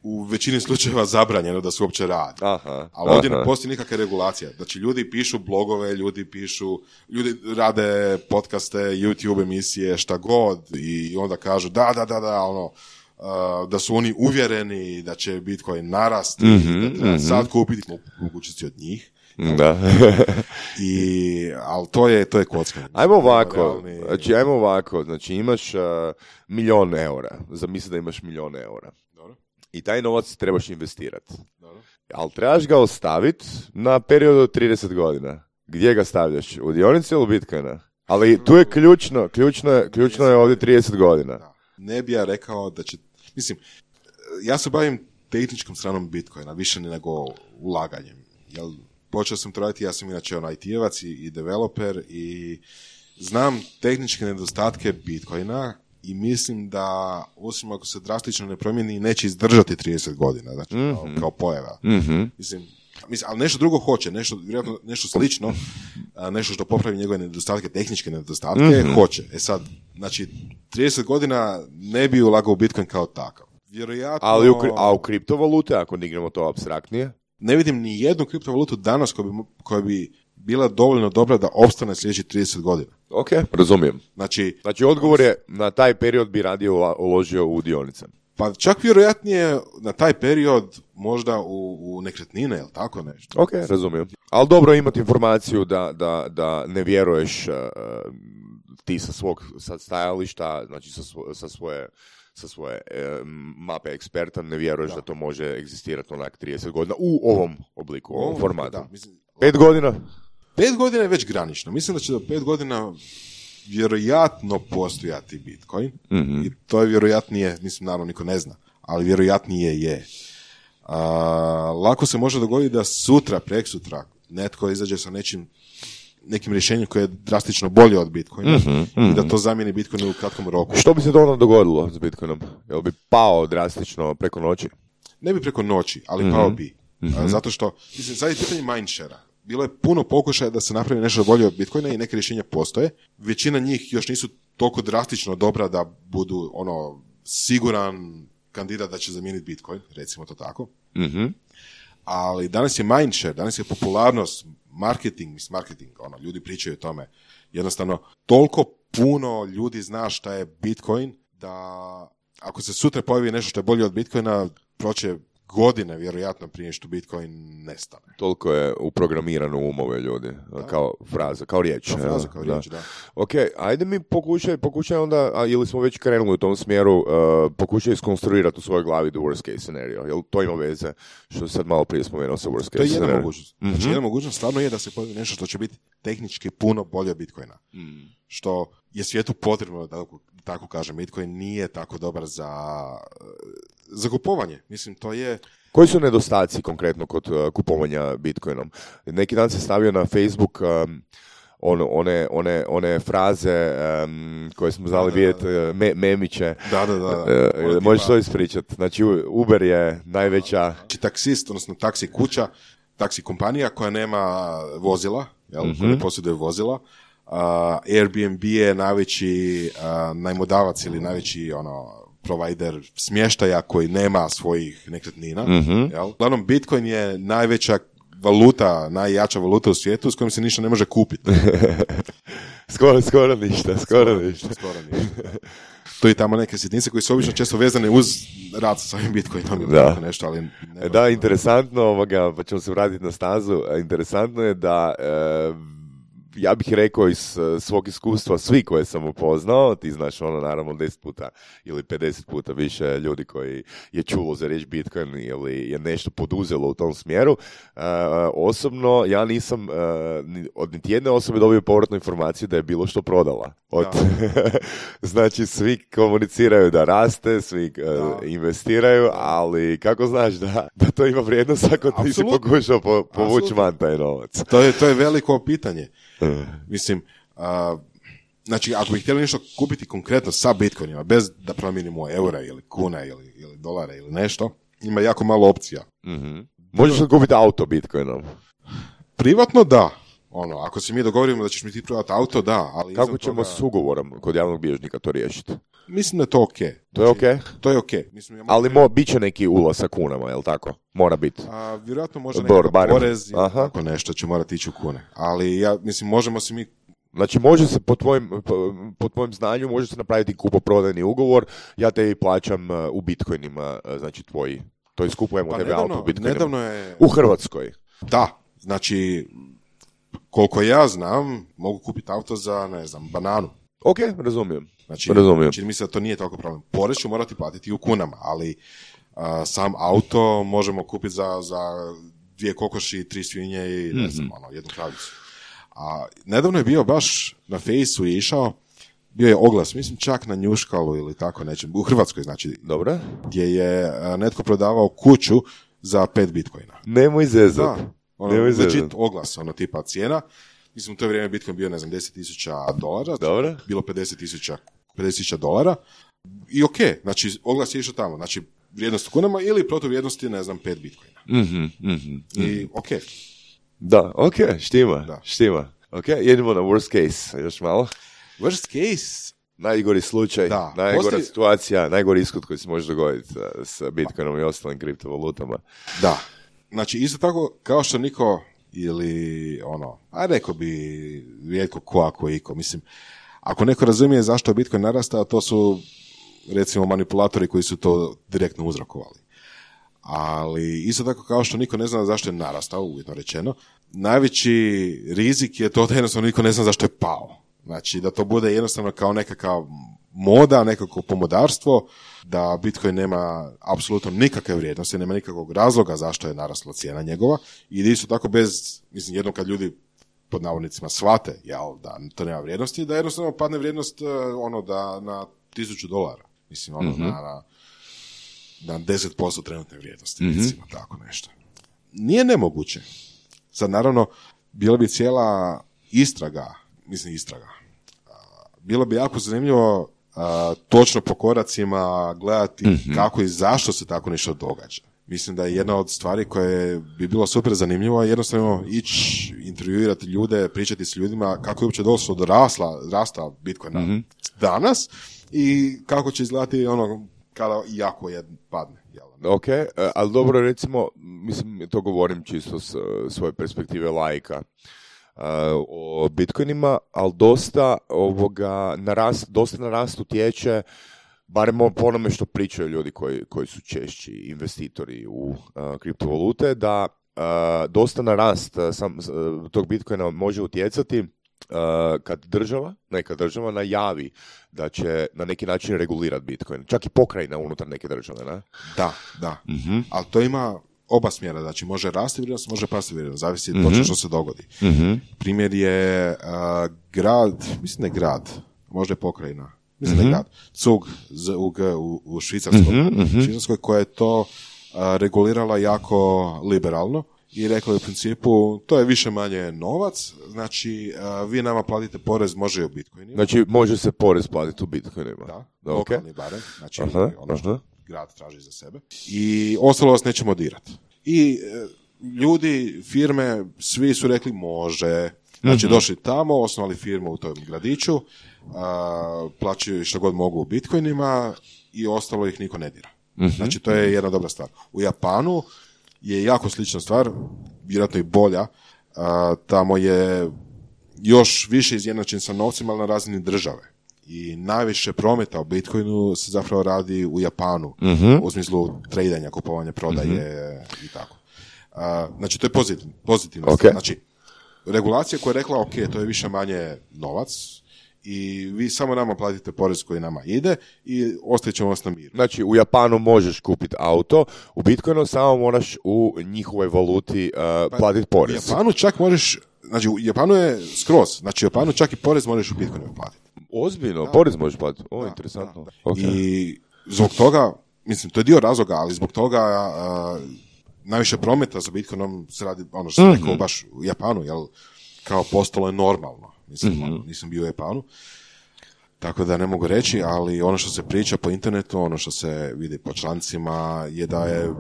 u većini slučajeva zabranjeno da se uopće radi. Aha, ali ovdje aha. ne postoji nikakve regulacije. Znači, ljudi pišu blogove, ljudi pišu, ljudi rade podcaste, YouTube emisije, šta god i onda kažu da, da, da, da, ono, Uh, da su oni uvjereni da će Bitcoin narasti, mm-hmm, da treba mm-hmm. sad kupiti mogućnosti od njih. Da. I, ali to je, to je kockanje. Ajmo ovako, realni... znači, ajmo ovako, znači imaš uh, milion eura, zamisli da imaš milion eura. Dobro. I taj novac trebaš investirati. Dobro. Ali trebaš ga ostaviti na period od trideset godina. Gdje ga stavljaš? U dionici ili u Bitcoina? Ali tu je ključno, ključno je, ključno je ovdje trideset godina. Da. Ne bi ja rekao da će, mislim, ja se bavim tehničkom stranom Bitcoina, više nego ulaganjem. Jel, počeo sam to raditi, ja sam inače on I T-evac i, i developer i znam tehničke nedostatke Bitcoina i mislim da, osim ako se drastično ne promijeni, neće izdržati trideset godina, znači mm-hmm. kao, kao pojava. Mm-hmm. Mislim, mislim, ali nešto drugo hoće, nešto, vjerojatno nešto slično, nešto što popravi njegove nedostatke, tehničke nedostatke, mm-hmm. hoće. E sad, znači, trideset godina ne bi ulagao u Bitcoin kao takav. Vjerojatno... Ali u, a u kriptovalute, ako dignemo to apstraktnije? Ne vidim ni jednu kriptovalutu danas koja bi, koja bi bila dovoljno dobra da opstane sljedećih trideset godina. Ok, razumijem. Znači, znači odgovor je, na taj period bi radio uložio u dionice. Pa čak vjerojatnije na taj period možda u, u nekretnine, jel tako nešto? Ok, razumijem. Ali dobro imati informaciju da, da, da ne vjeruješ uh, ti sa svog sa stajališta, znači sa, svo, sa svoje, sa svoje uh, mape eksperta, ne vjeruješ da. da to može egzistirati onak trideset godina u ovom obliku, u ovom o, formatu. Da, mislim, pet godina? Pet godina je već granično. Mislim da će do pet godina vjerojatno postojati Bitcoin mm-hmm. i to je vjerojatnije, mislim naravno niko ne zna, ali vjerojatnije je. A, lako se može dogoditi da sutra, preksutra, netko izađe sa nečim, nekim rješenjem koje je drastično bolje od Bitcoina mm-hmm, mm-hmm. i da to zamijeni Bitcoin u kratkom roku. Što bi se to onda dogodilo s Bitcoinom? Jel bi pao drastično preko noći? Ne bi preko noći, ali mm-hmm. pao bi. Mm-hmm. A, zato što, mislim, sad je pitanje mindshare-a. Bilo je puno pokušaja da se napravi nešto bolje od Bitcoina i neke rješenja postoje. Većina njih još nisu toliko drastično dobra da budu ono siguran kandidat da će zamijeniti Bitcoin, recimo to tako. Mm-hmm. Ali danas je mindshare, danas je popularnost, marketing, mis marketing, ono, ljudi pričaju o tome. Jednostavno, toliko puno ljudi zna šta je Bitcoin da ako se sutra pojavi nešto što je bolje od Bitcoina, proće godine, vjerojatno, prije što Bitcoin nestane. Toliko je uprogramirano u umove ljudi, da. kao fraza, kao riječ. Kao fraza, kao riječ, da. da. Ok, ajde mi pokušaj, pokušaj onda, a, ili smo već krenuli u tom smjeru, uh, pokušaj iskonstruirati u svojoj glavi the worst case scenario. Jel to ima veze, što sad malo prije spomenuo sa worst case scenario? To je jedna mogućnost. Mm-hmm. Znači, jedna mogućnost stvarno je da se pojavi nešto što će biti tehnički puno bolje od Bitcoina. Mm. Što je svijetu potrebno, da tako kažem, Bitcoin nije tako dobar za... za kupovanje. Mislim, to je... Koji su nedostaci konkretno kod uh, kupovanja Bitcoinom? Neki dan se stavio na Facebook um, on, one, one, one fraze um, koje smo znali vidjeti, uh, me, memiće. Da, da, da. Uh, možeš to ispričati? Znači, Uber je najveća... Znači, taksist, odnosno taksi kuća, taksi kompanija koja nema vozila, jel? Mm-hmm. Koja ne posjeduje vozila. Uh, Airbnb je najveći uh, najmodavac ili najveći ono provider smještaja koji nema svojih nekretnina. Mm-hmm. Jel? Uglavnom, Bitcoin je najveća valuta, najjača valuta u svijetu s kojom se ništa ne može kupiti. skoro, skoro ništa, skoro, skoro ništa. Skoro ništa. To je tamo neke sitnice koji su obično često vezane uz rad sa svojim Bitcoinom ili tako nešto, ali... Ne da, interesantno, ovoga, pa ćemo se vratiti na stazu, interesantno je da... E, ja bih rekao iz svog iskustva, svi koje sam upoznao, ti znaš ono naravno deset puta ili pedeset puta više ljudi koji je čulo za riječ Bitcoin ili je nešto poduzelo u tom smjeru. Uh, osobno, ja nisam uh, od niti jedne osobe dobio povratnu informaciju da je bilo što prodala. Od, znači, svi komuniciraju da raste, svi uh, investiraju, ali kako znaš da, da to ima vrijednost ako ti si pokušao po, povući van taj novac? To je, to je veliko pitanje. Mislim, uh, znači, ako bi htjeli nešto kupiti konkretno sa Bitcoinima, bez da promijenimo eura ili kuna ili, ili dolara ili nešto, ima jako malo opcija. Mm-hmm. Možeš li kupiti auto Bitcoinom? Privatno da. Ono, ako se mi dogovorimo da ćeš mi ti prodati auto, da. Ali kako ćemo toga... s ugovorom kod javnog bilježnika to riješiti? Mislim da je to ok. To je ok? To je ok. Mislim, ja ali mo, bit će neki ulaz sa kunama, je li tako? Mora biti. A, vjerojatno može nekakav porez ili tako nešto će morati ići u kune. Ali ja mislim, možemo se mi... Znači, može se po tvojim, po, po tvojim znanju, može se napraviti kupoprodajni ugovor, ja te plaćam u bitcoinima, znači tvoji, to je skupujemo pa tebe nedavno, auto u bitcoinima. Nedavno je... U Hrvatskoj. Da, znači, koliko ja znam, mogu kupiti auto za, ne znam, bananu. Ok, razumijem. Znači, razumijem. Čini mi se da to nije toliko problem. Porez ću morati platiti u kunama, ali uh, sam auto možemo kupiti za, za dvije kokoši, tri svinje i ne znam, mm-hmm. ono, jednu kravicu. A nedavno je bio baš na Fejsu je išao, bio je oglas, mislim čak na Njuškalu ili tako nečem, u Hrvatskoj znači. Dobro. Gdje je uh, netko prodavao kuću za pet bitcoina. Nemoj zezat. Da, ono, legit oglas, ono tipa cijena. Mislim, u to vrijeme Bitcoin bio, ne znam, deset tisuća dolara. Dobro. Bilo pedeset tisuća dolara. I ok, znači, oglas je išao tamo. Znači, vrijednost u kunama ili protuvrijednosti, ne znam, pet bitcoina. Mm-hmm, mm-hmm. I ok. Da, ok, štima, da. štima. Ok, jedemo na worst case, još malo. Worst case? Najgori slučaj, da. najgora Postoji... situacija, najgori ishod koji se može dogoditi s Bitcoinom i ostalim kriptovalutama. Da. Znači, isto tako, kao što niko ili ono, a rekao bi rijetko ko ako iko, mislim, ako neko razumije zašto je Bitcoin narastao, to su recimo manipulatori koji su to direktno uzrokovali. Ali isto tako kao što niko ne zna zašto je narastao, uvjetno rečeno, najveći rizik je to da jednostavno niko ne zna zašto je pao. Znači da to bude jednostavno kao nekakav moda, nekako pomodarstvo, da Bitcoin nema apsolutno nikakve vrijednosti, nema nikakvog razloga zašto je narasla cijena njegova i isto tako bez, mislim, jednom kad ljudi pod navodnicima shvate, jel, da to nema vrijednosti, da jednostavno padne vrijednost ono da na tisuću dolara, mislim, ono mm-hmm. na, na, na deset posto trenutne vrijednosti, mm-hmm. recimo, tako nešto. Nije nemoguće. Sad, naravno, bila bi cijela istraga, mislim, istraga, bilo bi jako zanimljivo a, točno po koracima gledati mm-hmm. kako i zašto se tako nešto događa. Mislim da je jedna od stvari koje bi bilo super zanimljivo jednostavno ići intervjuirati ljude, pričati s ljudima kako je uopće došlo do rasla, rasta Bitcoina mm-hmm. danas i kako će izgledati ono kada jako je padne. Jel? Ok, ali dobro, recimo, mislim, to govorim čisto s svoje perspektive laika. Uh, o Bitcoinima, ali dosta ovoga narast, dosta na rast utječe, barem po onome što pričaju ljudi koji, koji su češći investitori u uh, kriptovalute, da uh, dosta na rast uh, sam, uh, tog Bitcoina može utjecati uh, kad država, neka država najavi da će na neki način regulirati Bitcoin. Čak i pokrajina unutar neke države, ne? Da, da. Mm-hmm. Ali to ima oba smjera, znači može rasti vrijednost, može pasti vrijednost, zavisi mm-hmm. točno što se dogodi. Mm-hmm. Primjer je uh, grad, mislim da je grad, možda je pokrajina, mislim mm-hmm. da je grad, Zug, Zug u, u Švicarskoj, mm-hmm. Švicarskoj koja je to uh, regulirala jako liberalno i rekla je u principu, to je više manje novac, znači uh, vi nama platite porez, može i u Bitcoinima. Znači može se porez platiti u Bitcoinima. Da, da lokalni okay. barem, znači aha, ono što aha. grad traži za sebe. I ostalo vas nećemo dirati. I e, ljudi, firme, svi su rekli može. Znači mm-hmm. došli tamo, osnovali firmu u tom gradiću, a, plaćaju što god mogu u bitcoinima i ostalo ih niko ne dira. Mm-hmm. Znači to je jedna dobra stvar. U Japanu je jako slična stvar, vjerojatno i bolja. A, tamo je još više izjednačen sa novcima, ali na razini države. I najviše prometa u Bitcoinu se zapravo radi u Japanu, mm-hmm. u smislu tradanja, kupovanja, prodaje mm-hmm. i tako. Uh, znači, to je pozitivno, pozitivno. Okay. Znači, regulacija koja je rekla, ok, to je više manje novac i vi samo nama platite porez koji nama ide i ostavit ćemo vas na miru. Znači, u Japanu možeš kupiti auto, u Bitcoinu samo moraš u njihovoj valuti uh, platiti porez. U Japanu čak možeš, znači u Japanu je skroz, znači u Japanu čak i porez možeš u Bitcoinu platiti. Ozbiljno, da. Porez možeš platiti. O, Da, interesantno. da. Okay. I zbog toga, mislim, to je dio razloga, ali zbog toga uh, najviše prometa za Bitcoinom se radi, ono što sam mm-hmm. rekao, baš u Japanu, jel, kao postalo je normalno. Mislim, mm-hmm. nisam bio u Japanu, tako da ne mogu reći, ali ono što se priča po internetu, ono što se vidi po člancima, je da je,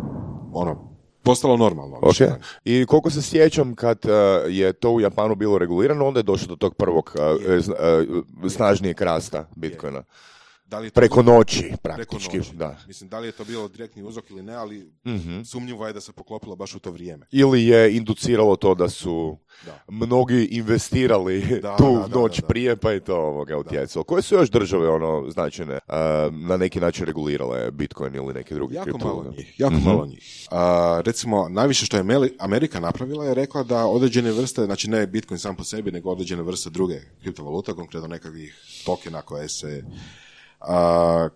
ono, postalo normalno. Okay. I koliko se sjećam, kad uh, je to u Japanu bilo regulirano, onda je došlo do tog prvog uh, uh, snažnijeg rasta Bitcoina. Da li je to preko bilo, noći, praktički. Preko noći. Da. Mislim, da li je to bilo direktni uzrok ili ne, ali mm-hmm. sumnjivo je da se poklopilo baš u to vrijeme. Ili je induciralo to da su da. mnogi investirali da, tu da, da, noć da, da. prije, pa je to ovoga utjecalo. Koje su još države ono značajne uh, na neki način regulirale Bitcoin ili neke druge jako kriptovalute? malo njih, jako mm-hmm. malo njih. Uh, recimo, najviše što je Amerika napravila je rekla da određene vrste, znači ne Bitcoin sam po sebi, nego određene vrste druge kriptovaluta, konkretno nekakvih tokena koje se Uh,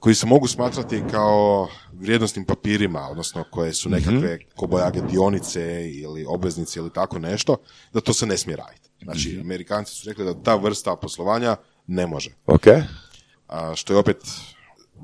koji se mogu smatrati kao vrijednosnim papirima, odnosno koje su nekakve mm-hmm. kobojage dionice ili obveznice ili tako nešto, da to se ne smije raditi. Znači, mm-hmm. Amerikanci su rekli da ta vrsta poslovanja ne može. Okay. Uh, što je opet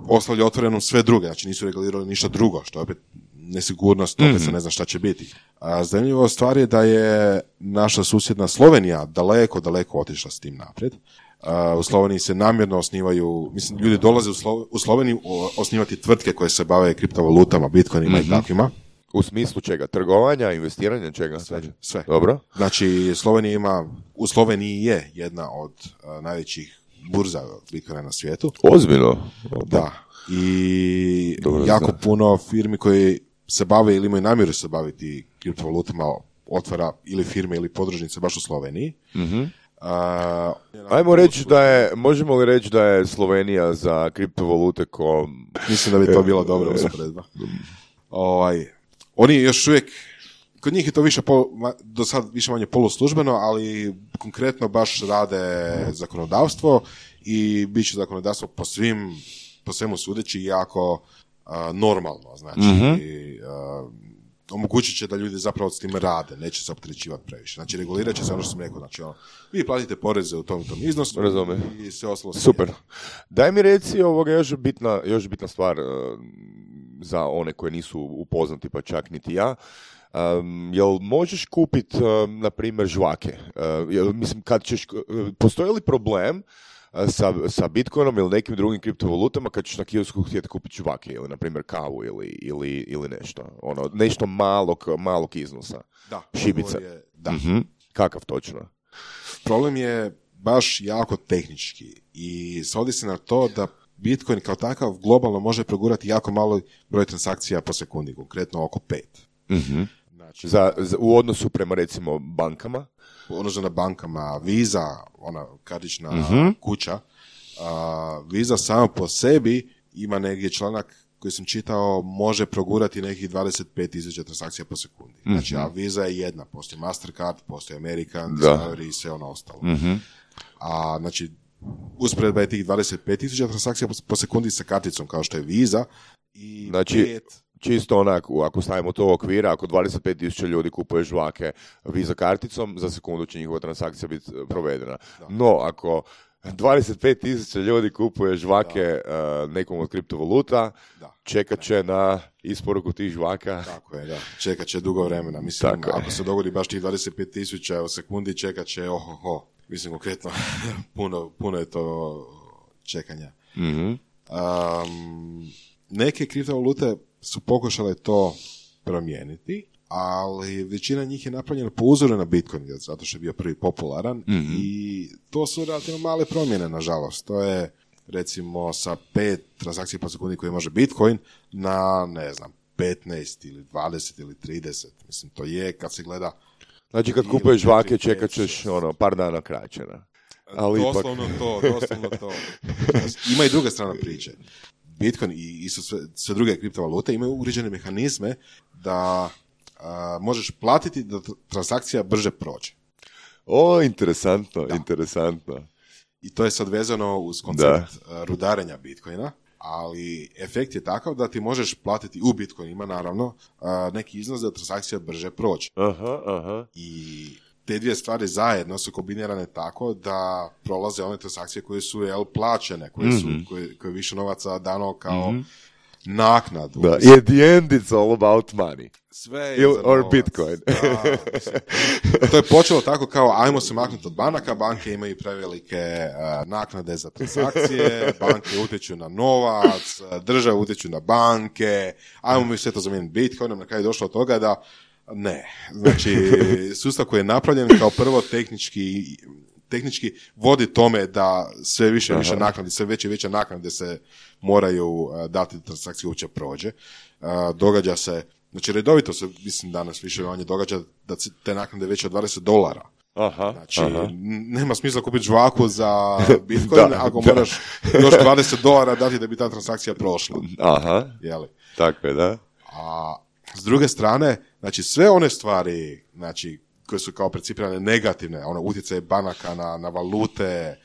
ostavlja otvoreno sve druge, znači nisu regulirali ništa drugo, što je opet nesigurnost, opet mm-hmm. se ne zna šta će biti. A zanimljiva stvar je da je naša susjedna Slovenija daleko, daleko otišla s tim naprijed. Uh, u Sloveniji se namjerno osnivaju, mislim, ljudi dolaze u, Slo- u Sloveniju osnivati tvrtke koje se bave kriptovalutama, bitcoinima mm-hmm. i takvima. U smislu čega? Trgovanja, investiranja, čega? Sve. sve. Dobro. Znači, Slovenija ima, u Sloveniji je jedna od uh, najvećih burza bitcoina na svijetu. Ozbiljno? Da. I Dobro, jako zna. puno firmi koji se bave ili imaju namjeru se baviti kriptovalutama otvara ili firme ili podružnice baš u Sloveniji. Mhm. Uh, Ajmo reći da je, možemo li reći da je Slovenija za kriptovalute ko... Mislim da bi to bila dobra usporedba. Ovaj, oni još uvijek, kod njih je to više pol, do sad više manje poluslužbeno, ali konkretno baš rade zakonodavstvo i bit će zakonodavstvo po svim, po svemu sudeći jako uh, normalno, znači mm-hmm. uh, omogućit će da ljudi zapravo s tim rade, neće se opterećivati previše. Znači, regulirat će se ono što sam rekao, znači, ono, vi platite poreze u tom, tom iznosu Razumem. i sve ostalo. Super. Daj mi reci ovoga još bitna, još bitna stvar uh, za one koje nisu upoznati, pa čak niti ja. Um, jel možeš kupiti, uh, na primjer, žvake? Uh, jel, mislim, kad ćeš, uh, postoji li problem sa, sa Bitcoinom ili nekim drugim kriptovalutama kad ćeš na kiosku htjeti kupiti žvake ili, na primjer, kavu ili, ili, ili nešto? Ono, nešto malog, malog iznosa. Da. Šibice. Je, da. Mm-hmm. Kakav točno? Problem je baš jako tehnički i svodi se na to da Bitcoin kao takav globalno može progurati jako malo broj transakcija po sekundi, konkretno oko pet. Mm-hmm. Znači, za, za, u odnosu prema, recimo, bankama? U odnosu na bankama, Visa, ona kartična mm-hmm. kuća, a, Visa sama po sebi ima negdje članak koji sam čitao, može progurati nekih dvadeset pet tisuća transakcija po sekundi. Mm-hmm. Znači, a Visa je jedna, postoji Mastercard, postoji American, Discovery i sve ono ostalo. Mm-hmm. A, znači, usporedba je tih dvadeset pet tisuća transakcija po sekundi sa karticom kao što je Visa i znači, pet... Čisto onako, ako stavimo to u okvira, ako dvadeset pet tisuća ljudi kupuje žvake Visa karticom, za sekundu će njihova transakcija biti provedena. Da. No, ako dvadeset pet tisuća ljudi kupuje žvake uh, nekom od kriptovaluta, da. čekat će na isporuku tih žvaka. Tako je, da. Čekat će dugo vremena. Mislim, Tako ako je. se dogodi baš tih dvadeset pet tisuća u sekundi, čekat će ohoho. Mislim, konkretno, puno, puno je to čekanja. Mm-hmm. Um, neke kriptovalute su pokušale to promijeniti, ali većina njih je napravljena po uzoru na Bitcoin, zato što je bio prvi popularan mm-hmm. i to su relativno male promjene, nažalost. To je, recimo, sa pet transakcija po sekundi koje može Bitcoin na, ne znam, petnaest ili dvadeset ili trideset. Mislim, to je, kad se gleda... Znači, kad kupuješ žvake, čekat ćeš ono, par dana kraće. Na. Ali doslovno ipak... to, doslovno to. Ima i druga strana priče. Bitcoin i, i sve, sve druge kriptovalute imaju uređene mehanizme da a, možeš platiti da transakcija brže prođe. O, interesantno, da. interesantno. I to je sad vezano uz koncept da. rudarenja Bitcoina, ali efekt je takav da ti možeš platiti u Bitcoinima, naravno, neki iznos da transakcija brže prođe. Aha, aha. I te dvije stvari zajedno su kombinirane tako da prolaze one transakcije koje su jel, plaćene, koje su mm-hmm. koje, koje više novaca dano kao mm-hmm. naknadu. Da, i at the end it's all about money. Sve je Il, or Bitcoin. Da, to je počelo tako kao ajmo se maknuti od banaka, banke imaju prevelike uh, naknade za transakcije, banke utječu na novac, države utječu na banke, ajmo mi sve to zamijeniti Bitcoinom, na kraju je došlo od toga da ne. Znači, sustav koji je napravljen kao prvo tehnički tehnički vodi tome da sve više i više naknade, sve veće i veće naknade se moraju uh, dati da transakcija uopće prođe. Uh, događa se, znači redovito se, mislim danas više manje događa da te naknade veće od dvadeset dolara. Aha, znači, aha. nema smisla kupiti žvaku za Bitcoin da, ako da. moraš još dvadeset dolara dati da bi ta transakcija prošla. Aha, jeli? Tako je, da. A s druge strane, znači sve one stvari, znači, koje su kao percipirane negativne, ono, utjecaj banaka na, na valute,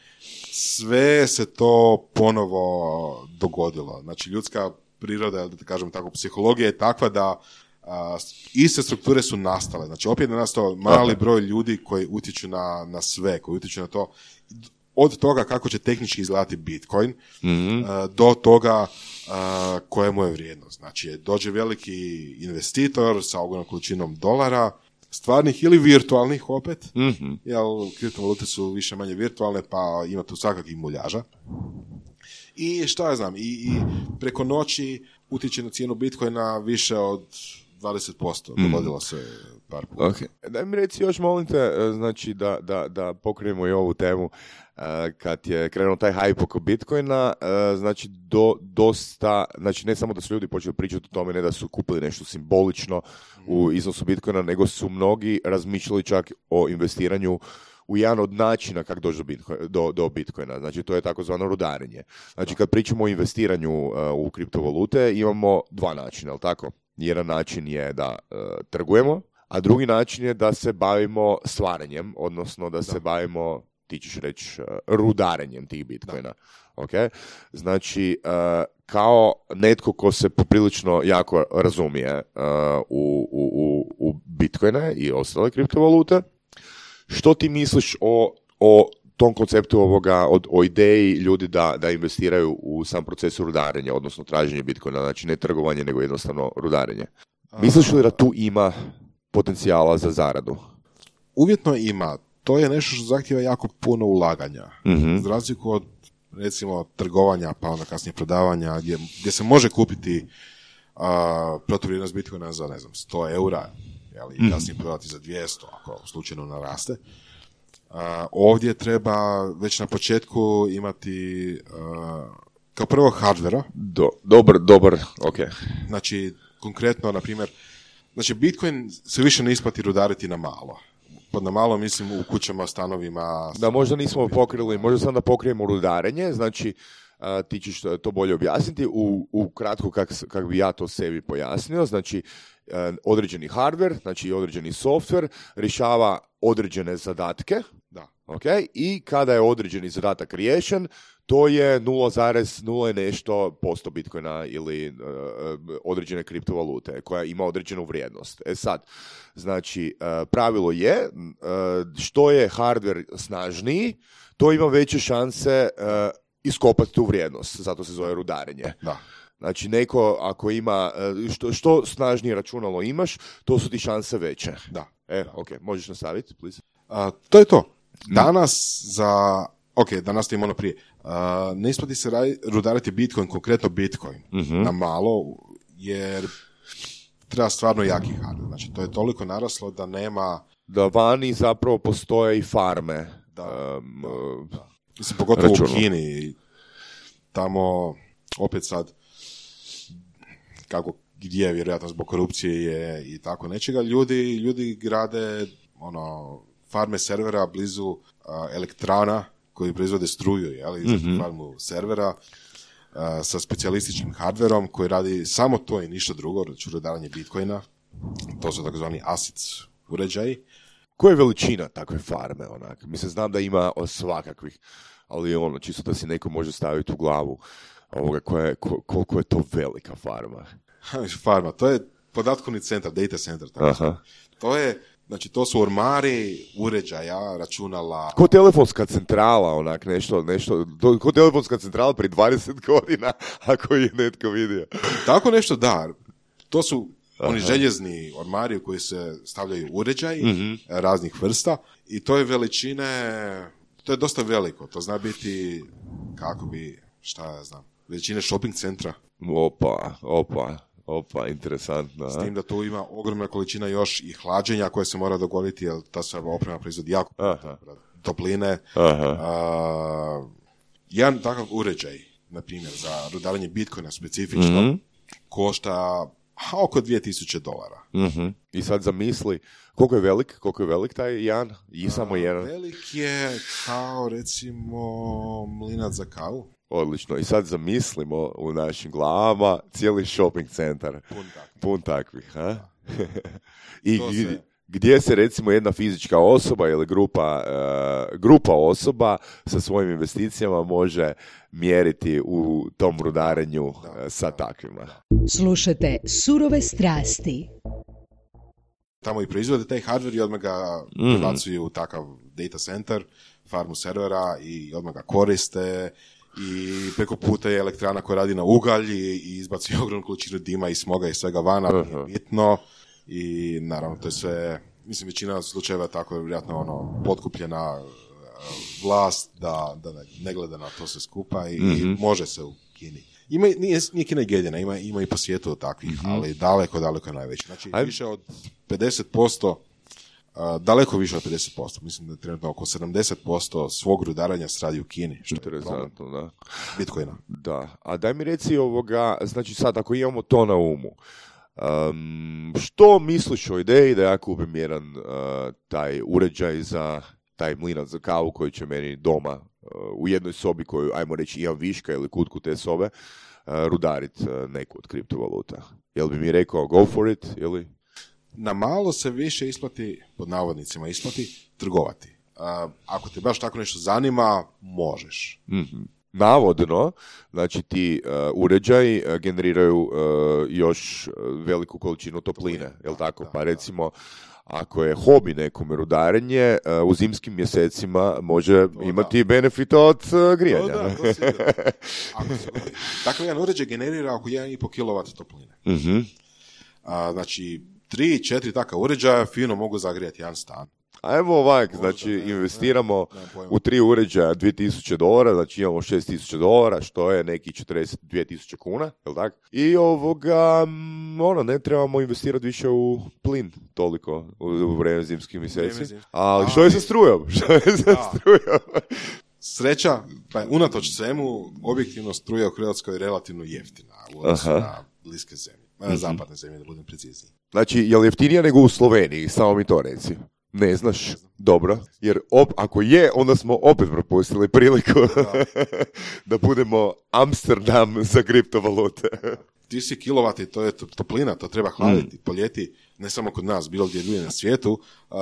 sve se to ponovo dogodilo. Znači, ljudska priroda, da kažem tako, psihologija je takva da a, iste strukture su nastale. Znači, opet je nastao mali broj ljudi koji utječu na, na sve, koji utječu na to, od toga kako će tehnički izgledati Bitcoin, mm-hmm. a, do toga a, koja mu je vrijednost. Znači, dođe veliki investitor sa ogromnom količinom dolara, stvarnih ili virtualnih opet, mm-hmm. jer kriptovalute su više manje virtualne, pa ima tu svakakvih muljaža. I šta ja znam, i, i preko noći utječe na cijenu Bitcoina više od dvadeset posto, mm. dogodilo se par puta. Okay. Daj mi reci još, molim te, znači da, da, da pokrenemo i ovu temu, kad je krenuo taj hype oko Bitcoina, znači do, dosta, znači ne samo da su ljudi počeli pričati o tome, ne da su kupili nešto simbolično u iznosu Bitcoina, nego su mnogi razmišljali čak o investiranju u jedan od načina kako doći do Bitcoina, do, do Bitcoina. Znači, to je takozvano rudarenje. Znači, kad pričamo o investiranju uh, u kriptovalute, imamo dva načina, je li tako? Jedan način je da uh, trgujemo, a drugi način je da se bavimo stvaranjem, odnosno da, da. se bavimo, ti ćeš reći, uh, rudarenjem tih Bitcoina. Okay? Znači, uh, kao netko ko se poprilično jako razumije uh, u, u, u Bitcoine i ostale kriptovalute, što ti misliš o, o tom konceptu ovoga, o, o ideji ljudi da, da investiraju u sam proces rudarenja, odnosno traženje Bitcoina, znači ne trgovanje, nego jednostavno rudarenje? Misliš li da tu ima potencijala za zaradu? Uvjetno ima. To je nešto što zahtjeva jako puno ulaganja. Mm-hmm. Za razliku od, recimo, trgovanja, pa onda kasnije prodavanja, gdje, gdje se može kupiti uh, protuvrijednost Bitcoina za, ne znam, sto eura, ali mm. kasnije prodati za dvjesto, ako slučajno naraste. Uh, ovdje treba već na početku imati uh, kao prvo hardvera. Do, dobar, dobar, ok. Znači, konkretno, na primjer, znači Bitcoin se više ne isplati rudariti na malo. Pod na malo mislim u kućama, stanovima. Da, možda nismo pokrili, možda sam da pokrijemo rudarenje, znači Uh, ti ćeš to bolje objasniti. U, u kratko, kako kak bi ja to sebi pojasnio, znači uh, određeni hardware, znači određeni software rješava određene zadatke, da. Okay? I kada je određeni zadatak riješen, to je nula zarez nula nešto posto Bitcoina ili uh, određene kriptovalute koja ima određenu vrijednost. E sad, znači uh, pravilo je uh, što je hardware snažniji, to ima veće šanse uh, iskopati tu vrijednost, zato se zove rudarenje. Da. Znači, neko ako ima, što, što snažnije računalo imaš, to su ti šanse veće. Da. E, ok, možeš nastaviti, please. Uh, to je to. Danas za, ok, danas ti ono prije, uh, ne isplati se radi, rudariti Bitcoin, konkretno Bitcoin, uh-huh. na malo, jer treba stvarno jaki hardware. Znači, to je toliko naraslo da nema... Da vani zapravo postoje i farme. Da, um, da, da. Mislim, pogotovo računu. U Kini, tamo opet sad, kako, gdje vjerojatno zbog korupcije je i tako nečega, ljudi, ljudi grade ono, farme servera blizu uh, elektrana koji proizvode struju, jel, za mm-hmm. farmu servera uh, sa specijalističkim hardverom koji radi samo to i ništa drugo, znači rudarenje Bitcoina, to su takozvani A S I C uređaji. koja je veličina takve farme, onak? Mislim, znam da ima svakakvih, ali ono, čisto da si neko može staviti u glavu ovoga koja je, ko, koliko je to velika farma. Farma, to je podatkovni centar, data center. Tako to je, znači, to su ormari uređaja, računala. Ko telefonska centrala, onak, nešto, nešto, to, ko telefonska centrala prije dvadeset godina, ako je netko vidio. Tako nešto, da. To su Aha. oni željezni ormari u koji se stavljaju uređaji mm-hmm. raznih vrsta i to je veličine, to je dosta veliko. To zna biti, kako bi, šta ja znam, veličine shopping centra. Opa, opa. Opa, interesantno. S tim da tu ima ogromna količina još i hlađenja koje se mora dogoditi, jer ta sva oprema proizvodi jako Aha. topline. Aha. A, jedan takav uređaj, na primjer, za rudarenje Bitcoina specifično, mm-hmm. košta ha, oko dvije tisuće dolara. Mm-hmm. I sad zamisli, koliko je velik, koliko je velik taj jedan? I samo jedan? Velik je kao, recimo, mlinac za kavu. Odlično. I sad zamislimo u našim glavama cijeli shopping centar. Pun takvih. Pun takvih, ha? I se... gdje se recimo jedna fizička osoba ili grupa, uh, grupa osoba sa svojim investicijama može mjeriti u tom rudarenju da, uh, sa da, takvima. Da. Slušajte Surove strasti. Tamo i proizvode taj hardware i odmah ga mm. prebacuju u takav data center, farmu servera i odmah ga koriste. I preko puta je elektrana koja radi na ugalj i, i izbaci ogromnu količinu dima i smoga i svega vana, uh-huh. bitno. I naravno to je sve, mislim, većina slučajeva tako je vjerojatno ono, potkupljena uh, vlast da, da ne gleda na to sve skupa i, mm-hmm. i može se u Kini. Ima, nije, nije Kina jedina, ima, ima i po svijetu takvih, mm-hmm. ali daleko, daleko je najveći. Znači, Aj... više od pedeset posto Uh, daleko više od pedeset posto, mislim da je trenutno oko sedamdeset posto svog rudaranja se radi u Kini. Što interesantno, da. Bitcoina. Da, a daj mi reci ovoga, znači sad ako imamo to na umu, um, što misliš o ideji da ja kupim jedan uh, taj uređaj za taj mlinac za kavu koji će meni doma uh, u jednoj sobi koju, ajmo reći, imam viška ili kutku te sobe, uh, rudarit uh, neku od kriptovaluta. Jel bi mi rekao go for it ili... Na malo se više isplati, pod navodnicima isplati, trgovati. Uh, ako te baš tako nešto zanima, možeš. Mm-hmm. Navodno, znači ti uh, uređaji uh, generiraju uh, još veliku količinu topline, topline. Jel tako? Da, pa recimo, ako je hobi nekome rudarenje, uh, u zimskim mjesecima može to imati da. benefit od uh, grijanja. To da, to sigurno. Ako se govori. Takav jedan uređaj generira oko jedan i pol kilovat topline. Mm-hmm. Uh, znači, tri, četiri taka uređaja fino mogu zagrijati jedan stan. Ajmo ovak, znači ne, investiramo ne, ne, u tri uređaja dvije tisuće dolara, znači imamo šest tisuća dolara, što je neki četrdeset dvije tisuće kuna, jel tako? I ovoga, ono, ne trebamo investirati više u plin toliko u, u vreme zimskih mjeseci. Ali što je sa strujom? Što je sa strujom? Sreća, pa unatoč svemu, objektivno struja u Hrvatskoj je relativno jeftina u odnosu na bliske zemlje. Mm-hmm. Zapadne zemlje, da budem precizniji. Znači, je li jeftinija nego u Sloveniji? Samo mi to reci. Ne znaš? Ne znam. Dobro. Jer op, ako je, onda smo opet propustili priliku da, da budemo Amsterdam za kriptovalute. Ti si kilovati, to je toplina, to treba hladiti, mm. poljeti, ne samo kod nas, bilo gdje ljudi na svijetu. Uh,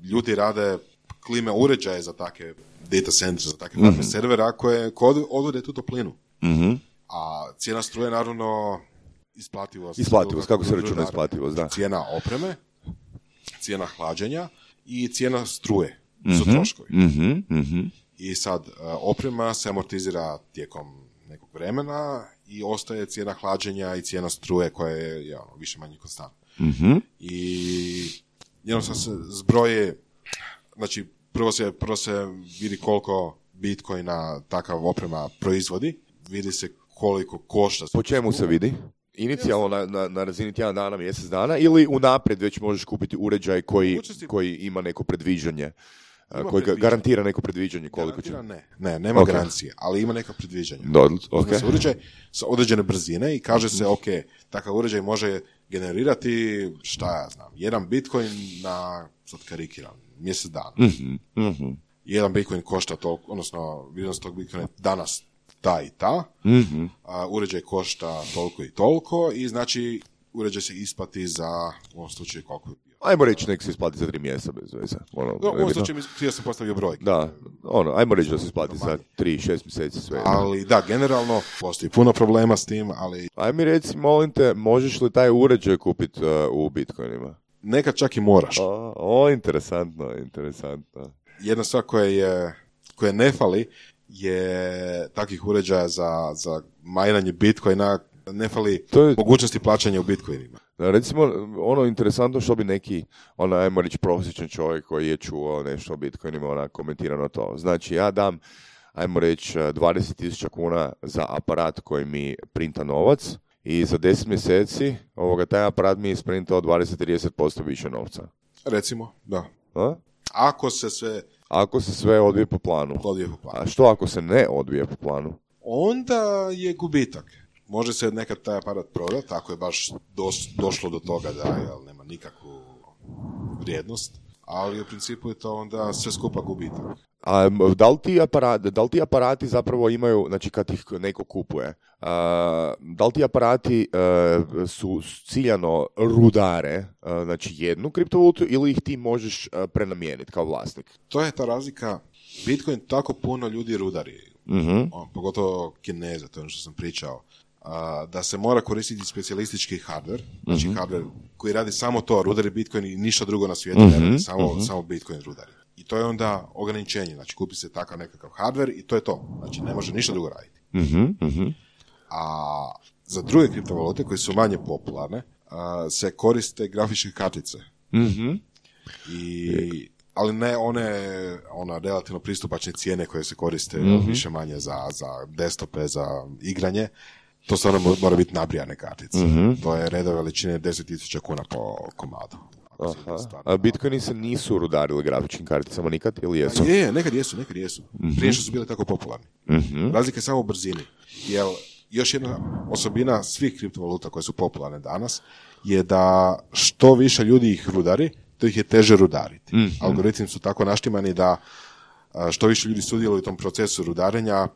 ljudi rade klime uređaje za takve data centre, za takve mm-hmm. servera koje odvode tu toplinu. Mm-hmm. A cijena struje, naravno, isplativost. Isplativost, kako se računa isplativost, da. Cijena opreme, cijena hlađenja i cijena struje mm-hmm. su troškovi. Mm-hmm. Mm-hmm. I sad, oprema se amortizira tijekom nekog vremena i ostaje cijena hlađenja i cijena struje koja je ja, više manje konstantna. Mm-hmm. I jednostavno se zbroje, znači prvo se, prvo se vidi koliko Bitcoina takav oprema proizvodi, vidi se koliko košta. Po čemu se vidi? Inicijalno na, na, na razini tjedan dana, mjesec dana ili unaprijed već možeš kupiti uređaj koji, koji ima neko predviđanje, ima koji predviđanje. Garantira neko predviđanje koliko garantira, će... Ne, ne, nema okay. garancije, ali ima neka predviđanja. Okay. Se uređaj sa određene brzine i kaže se, ok, takav uređaj može generirati, šta ja znam, jedan Bitcoin na, sad karikiram, mjesec dana. Mm-hmm. Mm-hmm. Jedan Bitcoin košta toliko, odnosno vrijednost tog Bitcoina danas ta i ta, mm-hmm. a uređaj košta toliko i toliko i znači uređaj se isplati za, u ovom slučaju koliko je bio. Ajmo reći, nek se isplati za tri mjeseca bez veze. Ono, no, u ovom slučaju ja sam postavio broj. Da, ono, ajmo reći da se isplati za tri, šest mjeseci sve. Ali da, generalno postoji puno problema s tim, ali... Aj mi reci, molim te, možeš li taj uređaj kupiti uh, u Bitcoinima? Nekad čak i moraš. O, o interesantno, interesantno. Jedna stvar koja je, koja ne fali je takvih uređaja za, za majnanje Bitcoina, ne fali to je... mogućnosti plaćanja u Bitcoinima. Recimo, ono interesantno što bi neki, ono, ajmo reći, prosječan čovjek koji je čuo nešto o Bitcoinima, ona komentira na to. Znači, ja dam, ajmo reći, dvadeset tisuća kuna za aparat koji mi printa novac i za deset mjeseci ovoga, taj aparat mi je isprintao dvadeset do trideset posto više novca. Recimo, da. A? Ako se sve... Ako se sve odvije po planu. Odvije po planu. A što ako se ne odvije po planu? Onda je gubitak. Može se nekad taj aparat prodati, ako je baš dos, došlo do toga da jel, nema nikakvu vrijednost, ali u principu je to onda sve skupa gubitak. A da li ti aparati, da li ti aparati zapravo imaju, znači kad ih neko kupuje, a, da li ti aparati a, su ciljano rudare, a, znači jednu kriptovalutu ili ih ti možeš a, prenamijeniti kao vlasnik? To je ta razlika. Bitcoin tako puno ljudi rudari, uh-huh. On, pogotovo Kineza, to je ono što sam pričao. Uh, da se mora koristiti specijalistički hardware, znači uh-huh. hardware koji radi samo to, rudari Bitcoin i ništa drugo na svijetu, uh-huh. ne radi, samo, uh-huh. samo Bitcoin rudari. I to je onda ograničenje, znači kupi se takav nekakav hardware i to je to, znači ne može ništa drugo raditi. Uh-huh. Uh-huh. A za druge kriptovalute koje su manje popularne, uh, se koriste grafičke kartice. Uh-huh. I... ali ne one ona relativno pristupačne cijene koje se koriste uh-huh. više manje za, za desktope, za igranje. To stvarno mora biti nabrijane kartice. Uh-huh. To je reda veličine deset tisuća kuna po komadu. A Bitcoini se nisu rudarili grafičkim karticama nikad ili jesu? Je, je, nekad jesu, nekad jesu. Uh-huh. Prije što su bile tako popularni. Uh-huh. Razlika je samo u brzini. Jer još jedna osobina svih kriptovaluta koje su popularne danas je da što više ljudi ih rudari, to ih je teže rudariti. Mm-hmm. Algoritmi su tako naštimani da što više ljudi sudjeluju u tom procesu rudarenja,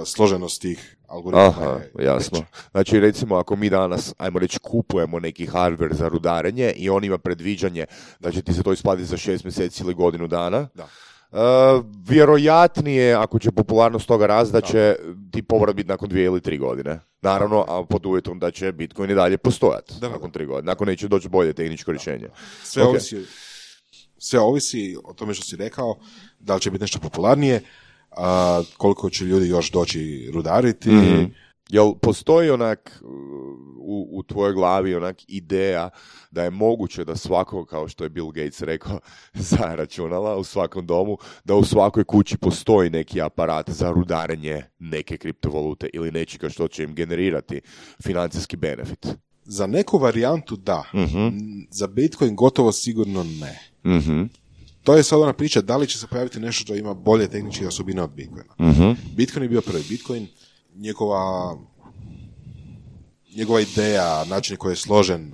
složenost tih algoritma Aha, je jasno. veća. Znači, recimo, ako mi danas, ajmo reći, kupujemo neki hardware za rudarenje i on ima predviđanje da će ti se to isplatiti za šest mjeseci ili godinu dana, da. Uh, vjerojatnije, ako će popularnost toga rast, da će ti povrat biti nakon dvije ili tri godine. Naravno, a pod uvjetom da će Bitcoin i dalje postojati da, nakon tri godine. Nakon neće doći bolje tehničko rješenje. Sve, okay. ovisi, sve ovisi o tome što si rekao, da li će biti nešto popularnije, a koliko će ljudi još doći rudariti. Mm-hmm. Jel postoji onak u, u tvojoj glavi onak ideja da je moguće da svako, kao što je Bill Gates rekao za računala u svakom domu, da u svakoj kući postoji neki aparat za rudarenje neke kriptovalute ili nečega što će im generirati financijski benefit? Za neku varijantu da. Uh-huh. Za Bitcoin gotovo sigurno ne. Uh-huh. To je sad ona priča da li će se pojaviti nešto što ima bolje tehničke osobine od Bitcoina. Uh-huh. Bitcoin je bio prvi. Bitcoin, njegova, njegova ideja, način koji je složen,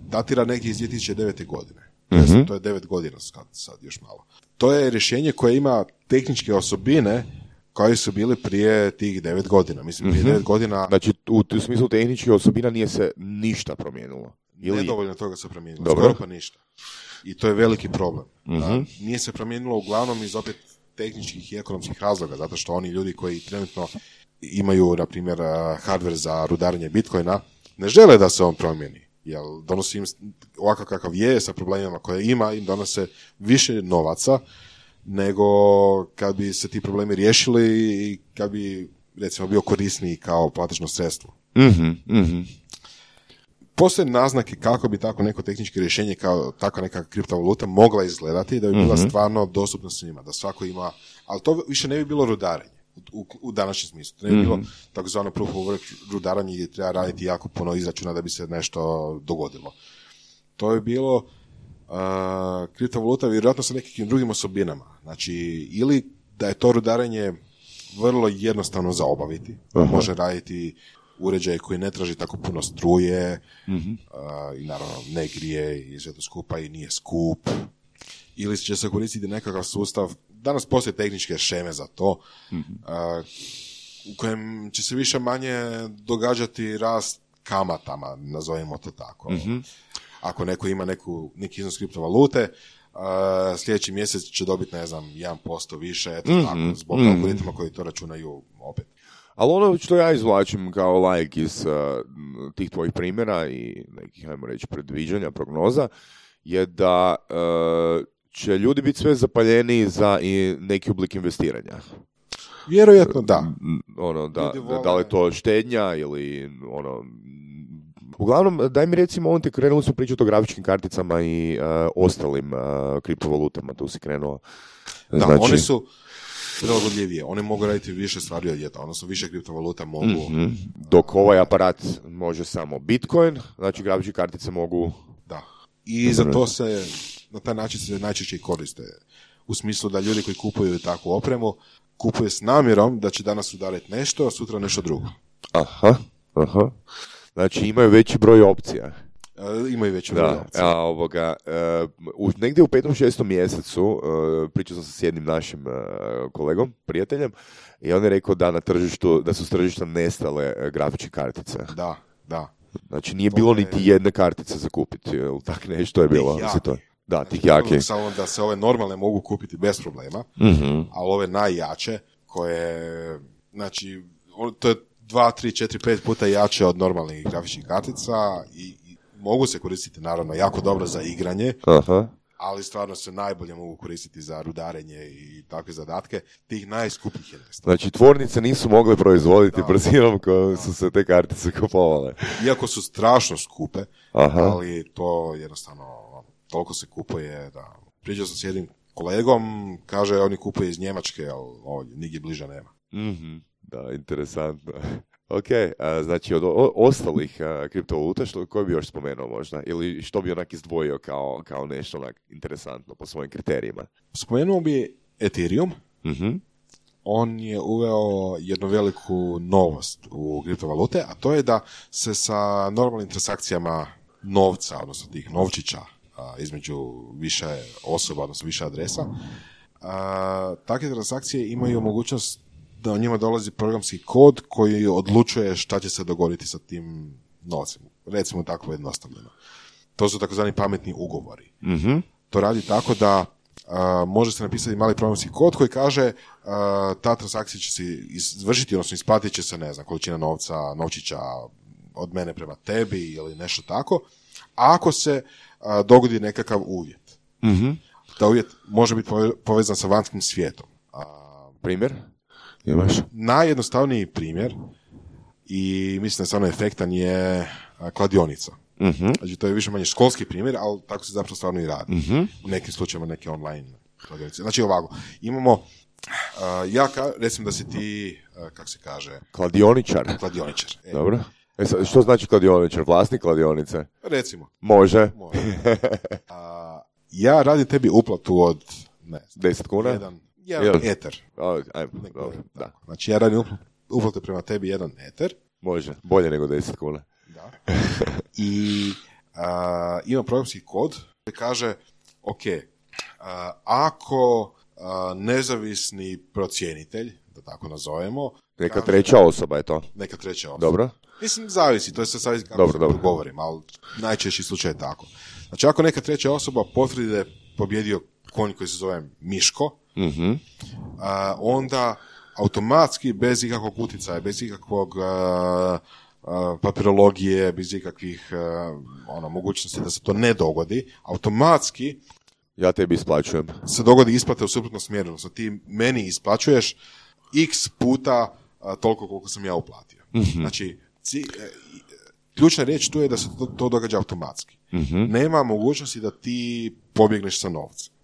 datira negdje iz dvije tisuće devete. godine. Uh-huh. To je devet godina sad, sad još malo. To je rješenje koje ima tehničke osobine koje su bili prije tih devet godina. Mislim, prije uh-huh. devet godina... Znači, u, u smislu tehničkih osobina nije se ništa promijenilo? Ili... Nedovoljno toga se promijenilo. Dobro. Skoro pa ništa. I to je veliki problem. Uh-huh. Nije se promijenilo uglavnom iz opet tehničkih i ekonomskih razloga, zato što oni ljudi koji trenutno imaju, na primjer, hardware za rudarenje Bitcoina, ne žele da se on promijeni. Jer donosi im ovakav kakav je, sa problemima koje ima, im donose više novaca nego kad bi se ti problemi riješili i kad bi, recimo, bio korisniji kao platežno sredstvo. Mm-hmm, mm-hmm. Postoje naznake kako bi tako neko tehničko rješenje kao takva neka kriptovaluta mogla izgledati da bi bila mm-hmm. stvarno dostupna svima, da svako ima, ali to više ne bi bilo rudarenje u, u današnjem smislu. To ne bi mm-hmm. bilo takozvano proof of work rudaranje gdje treba raditi jako puno izračuna da bi se nešto dogodilo. To je bilo uh, kriptovaluta vjerojatno sa nekakvim drugim osobinama. Znači, ili da je to rudarenje vrlo jednostavno za obaviti, da uh-huh. može raditi uređaj koji ne traži tako puno struje mm-hmm. uh, i naravno ne grije i sve to skupa i nije skup. Ili će se koristiti nekakav sustav, danas postoje tehničke šeme za to, mm-hmm. uh, u kojem će se više manje događati rast kamatama, nazovimo to tako. Mm-hmm. Ako neko ima neku, neki iznos kriptovalute, uh, sljedeći mjesec će dobiti, ne znam, jedan posto više, eto mm-hmm. tako, zbog mm-hmm. algoritma koji to računaju opet. Ali ono što ja izvlačim kao laik iz uh, tih tvojih primjera i nekih, ajmo reći, predviđanja, prognoza, je da uh, će ljudi biti sve zapaljeniji za i neki oblik investiranja. Vjerojatno da. Ono, da, da, da li je to štednja ili ono... Uglavnom, daj mi recimo, on te krenuli su pričati o grafičkim karticama i uh, ostalim uh, kriptovalutama, tu si krenuo. Da, znači... one su prilagodljivije, one mogu raditi više stvari od jedna, odnosno više kriptovaluta mogu... Mm-hmm. Dok ovaj aparat može samo Bitcoin, znači grafičke kartice mogu... Da, i za to se, na taj način se najčešće i koriste. U smislu da ljudi koji kupuju takvu opremu, kupuju s namjerom da će danas udariti nešto, a sutra nešto drugo. Aha, aha. Znači imaju veći broj opcija. E, imaju veći broj da, opcija. A, ovoga, uh, u, negdje u petom, šestom mjesecu uh, pričao sam sa jednim našim uh, kolegom, prijateljem, i on je rekao da na tržištu, da su s tržišta nestale uh, grafičke kartice. Da, da. Znači nije to bilo je... niti jedne kartice za kupiti, ili tak nešto je bilo. To... Da, znači, tih jaki. Samo da se ove normalne mogu kupiti bez problema, mm-hmm. ali ove najjače, koje, znači, to je dva, tri, četiri, pet puta jače od normalnih grafičkih kartica i, i mogu se koristiti naravno jako dobro za igranje, aha. ali stvarno se najbolje mogu koristiti za rudarenje i takve zadatke. Tih najskupljih je nestalo. Znači tvornice nisu mogle proizvoditi da, brzinom kojom su se te kartice kupovale. Iako su strašno skupe, aha. ali to jednostavno toliko se kupuje da... Pričao sam s jednim kolegom, kaže oni kupuje iz Njemačke, ali ovdje nigdje bliže nema. Mhm. Da, interesantno. Ok, a, znači od o, ostalih a, kriptovaluta, što, koji bi još spomenuo možda? Ili što bi onak izdvojio kao, kao nešto onak interesantno po svojim kriterijima? Spomenuo bi Ethereum. Mm-hmm. On je uveo jednu veliku novost u kriptovalute, a to je da se sa normalnim transakcijama novca, odnosno tih novčića, a, između više osoba, odnosno više adresa, a, takve transakcije imaju mogućnost da u njima dolazi programski kod koji odlučuje šta će se dogoditi sa tim novcem. Recimo tako jednostavljeno. To su takozvani pametni ugovori. Mm-hmm. To radi tako da a, može se napisati mali programski kod koji kaže a, ta transakcija će se izvršiti, odnosno isplatit će se, ne znam, količina novca, novčića od mene prema tebi ili nešto tako, ako se a, dogodi nekakav uvjet. Mm-hmm. Da uvjet može biti povezan sa vanjskim svijetom. A, Primjer? Imaš? Najjednostavniji primjer i mislim da je stvarno efektan je kladionica. Mm-hmm. Znači to je više manje školski primjer, ali tako se zapravo stvarno i radi. Mm-hmm. U nekim slučajima neke online kladionice. Znači ovako, imamo uh, ja ka, recimo da si ti, uh, kako se kaže? Kladioničar. Kladioničar. E. Dobro. E, što znači kladioničar? Vlasnik kladionice? Recimo. Može. Može. uh, ja radim tebi uplatu od ne znam, deset kuna? Jedan, jedan eter. O, ajmo, dobro, da. Znači ja radim uplatu prema tebi jedan eter. Može, bolje nego deset kuna. Da. I uh, ima programski kod koji kaže, ok, uh, ako uh, nezavisni procjenitelj, da tako nazovemo... Neka kaže, treća osoba je to. Neka treća osoba. Dobro. Mislim, zavisi, to je sve savisi kako dobro, se to govorim, ali najčešći slučaj je tako. Znači, ako neka treća osoba potvrdi da je pobjedio konj koji se zove Miško, mm-hmm. uh, onda automatski, bez ikakvog utjecaja, bez ikakvog... Uh, Uh, papirologije, bez ikakvih uh, ono, mogućnosti da se to ne dogodi, automatski ja tebi isplaćujem. Se dogodi isplata u suprotnom smjeru. Odnosno ti meni isplaćuješ x puta uh, toliko koliko sam ja uplatio. Mm-hmm. Znači, ci, uh, ključna riječ tu je da se to, to događa automatski. Mm-hmm. Nema mogućnosti da ti pobjegneš sa novcem.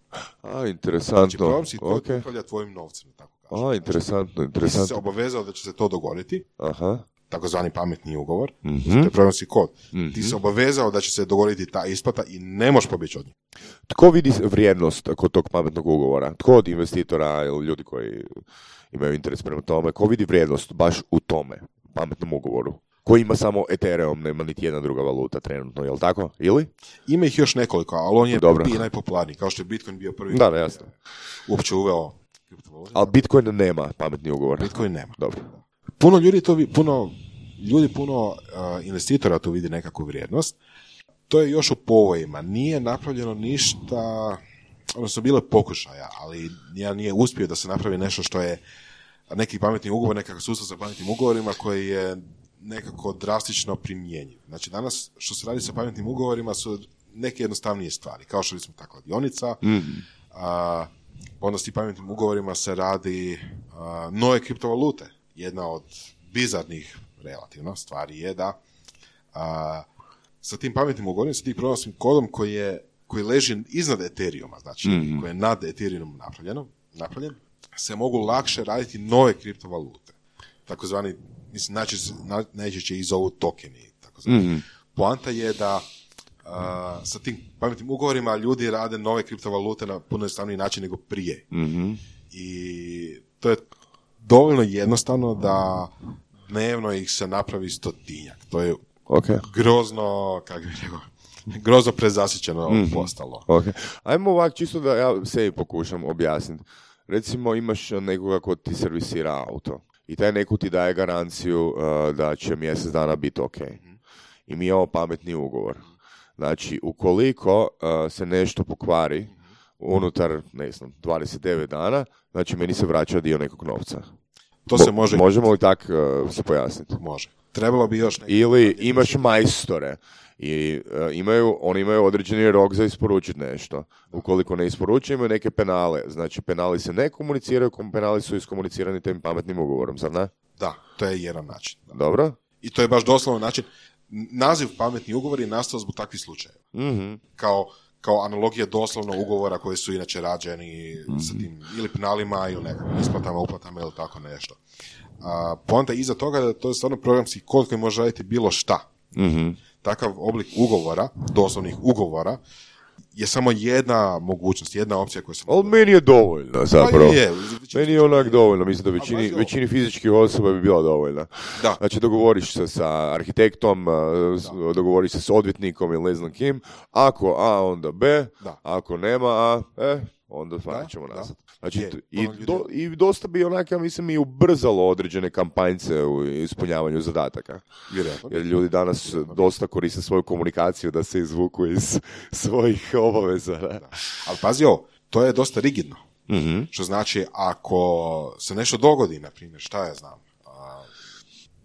A, interesantno. Znači, program si okay. to upravlja tvojim novcem, tako kažem. A, interesantno, interesantno. Ti si se obavezao da će se to dogoditi. Aha. Takozvani pametni ugovor, mm-hmm. to je programski kod. Mm-hmm. Ti se obavezao da će se dogoditi ta isplata i ne možeš pobjeći od nje. Tko vidi vrijednost kod tog pametnog ugovora? Tko od investitora ili ljudi koji imaju interes prema tome, ko vidi vrijednost baš u tome pametnom ugovoru? Koji ima samo Ethereum, nema niti jedna druga valuta trenutno, je li tako? Ili? Ima ih još nekoliko, ali on je Dobro. prvi i najpopularniji, kao što je Bitcoin bio prvi. Da, da, jasno. Uopće uveo. Ali Bitcoin nema pametni ugovor. Bitcoin nema. Dobro. Puno ljudi to, puno ljudi puno uh, investitora tu vidi nekakvu vrijednost. To je još u povojima. Nije napravljeno ništa, odnosno bilo je pokušaja, ali ja nije uspio da se napravi nešto što je neki pametni ugovor, nekakav sustav sa pametnim ugovorima koji je nekako drastično primjenjiv. Znači danas što se radi sa pametnim ugovorima su neke jednostavnije stvari, kao što smo ta kladionica, mm-hmm. a, onda s tim pametnim ugovorima se radi a, nove kriptovalute. Jedna od bizarnih relativno stvari je da a, sa tim pametnim ugovorima, sa tim programskim kodom koji, je, koji leži iznad Ethereuma, znači mm-hmm. koji je nad Ethereumom napravljeno, napravljen, se mogu lakše raditi nove kriptovalute. Takozvani, mislim, najčešće ih zovu tokeni. Takozvani. Mm-hmm. Poanta je da a, sa tim pametnim ugovorima ljudi rade nove kriptovalute na puno jednostavniji način nego prije. Mm-hmm. I to je dovoljno jednostavno da dnevno ih se napravi stotinjak. To je okay. grozno, kako bih rekao, grozno prezasićeno mm-hmm. postalo. Okay. Ajmo ovak, čisto da ja sebi pokušam objasniti. Recimo imaš nekoga ko ti servisira auto i taj neko ti daje garanciju uh, da će mjesec dana biti ok. Mm-hmm. I mi imamo pametni ugovor. Znači, ukoliko uh, se nešto pokvari unutar, ne znam, dvadeset devet dana, znači meni se vraća dio nekog novca. To se može... Možemo li tak uh, se pojasniti? Može. Trebalo bi još neki... Ili imaš majstore i uh, imaju, oni imaju određeni rok za isporučiti nešto. Ukoliko ne isporučuju, imaju neke penale. Znači, penali se ne komuniciraju, penali su iskomunicirani tim pametnim ugovorom, zar ne? Da, to je jedan način. Da. Dobro. I to je baš doslovno način. Naziv pametni ugovor je nastao zbog takvih slučajeva. Mm-hmm. Kao, kao analogija doslovno ugovora koji su inače rađeni mm-hmm. sa tim ili penalima ili nekakvim isplatama, uplatama ili tako nešto. A, poanta iza toga da to je stvarno programski kod koji može raditi bilo šta. Mm-hmm. Takav oblik ugovora, doslovnih ugovora, je samo jedna mogućnost, jedna opcija koja se... Ali meni je dovoljna, zapravo. Pa je, meni je onak dovoljno, mislim da većini, većini fizičkih osoba bi bila dovoljna. Da. Znači, dogovoriš se sa arhitektom, da. dogovoriš se s odvjetnikom ili ne znam kim, ako A, onda B, da. Ako nema A, e, onda stvarno ćemo nazad. Znači, je, i, do, i dosta bi onak, ja mislim, i ubrzalo određene kampanjce u ispunjavanju zadataka. Vjerojatno. Jer ljudi danas Vjerojatno. dosta koriste svoju komunikaciju da se izvuku iz svojih obaveza. Da. Da. Ali pazi ovo, to je dosta rigidno. Mm-hmm. Što znači, ako se nešto dogodi, na primjer, šta ja znam, a,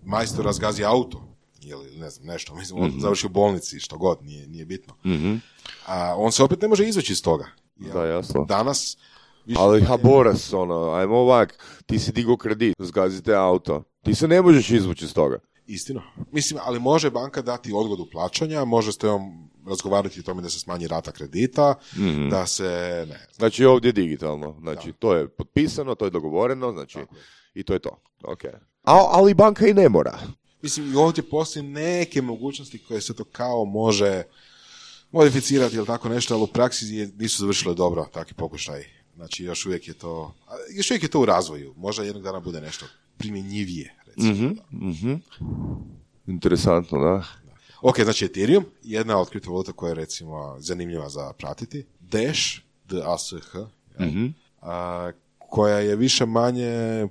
majstor razgazi auto, ili ne znam, nešto, mislim, on mm-hmm. završi u bolnici, što god, nije, nije bitno. Mm-hmm. A, on se opet ne može izvući iz toga. Jel? Da, jasno. Danas... Ali Haboras, ono, ajmo ovak, ti si digao kredit, zgazite auto, ti se ne možeš izvući iz toga. Istino. Mislim, ali može banka dati odgodu plaćanja, može s tebom razgovarati o tome da se smanji rata kredita, mm-hmm. da se... ne. Znači ovdje je digitalno, znači da. To je potpisano, to je dogovoreno, znači i to je to. Okay. A, ali banka i ne mora. Mislim, i ovdje postoji neke mogućnosti koje se to kao može modificirati ili tako nešto, ali u praksi nisu završile dobro takvi pokušaj. Znači, još uvijek je to, još uvijek je to u razvoju. Možda jednog dana bude nešto primjenjivije, recimo. Mm-hmm, mm-hmm. Interesantno, da. Ok, znači Ethereum, jedna od kriptovaluta koja je, recimo, zanimljiva za pratiti. Dash, D A S H, mm-hmm. a, koja je više manje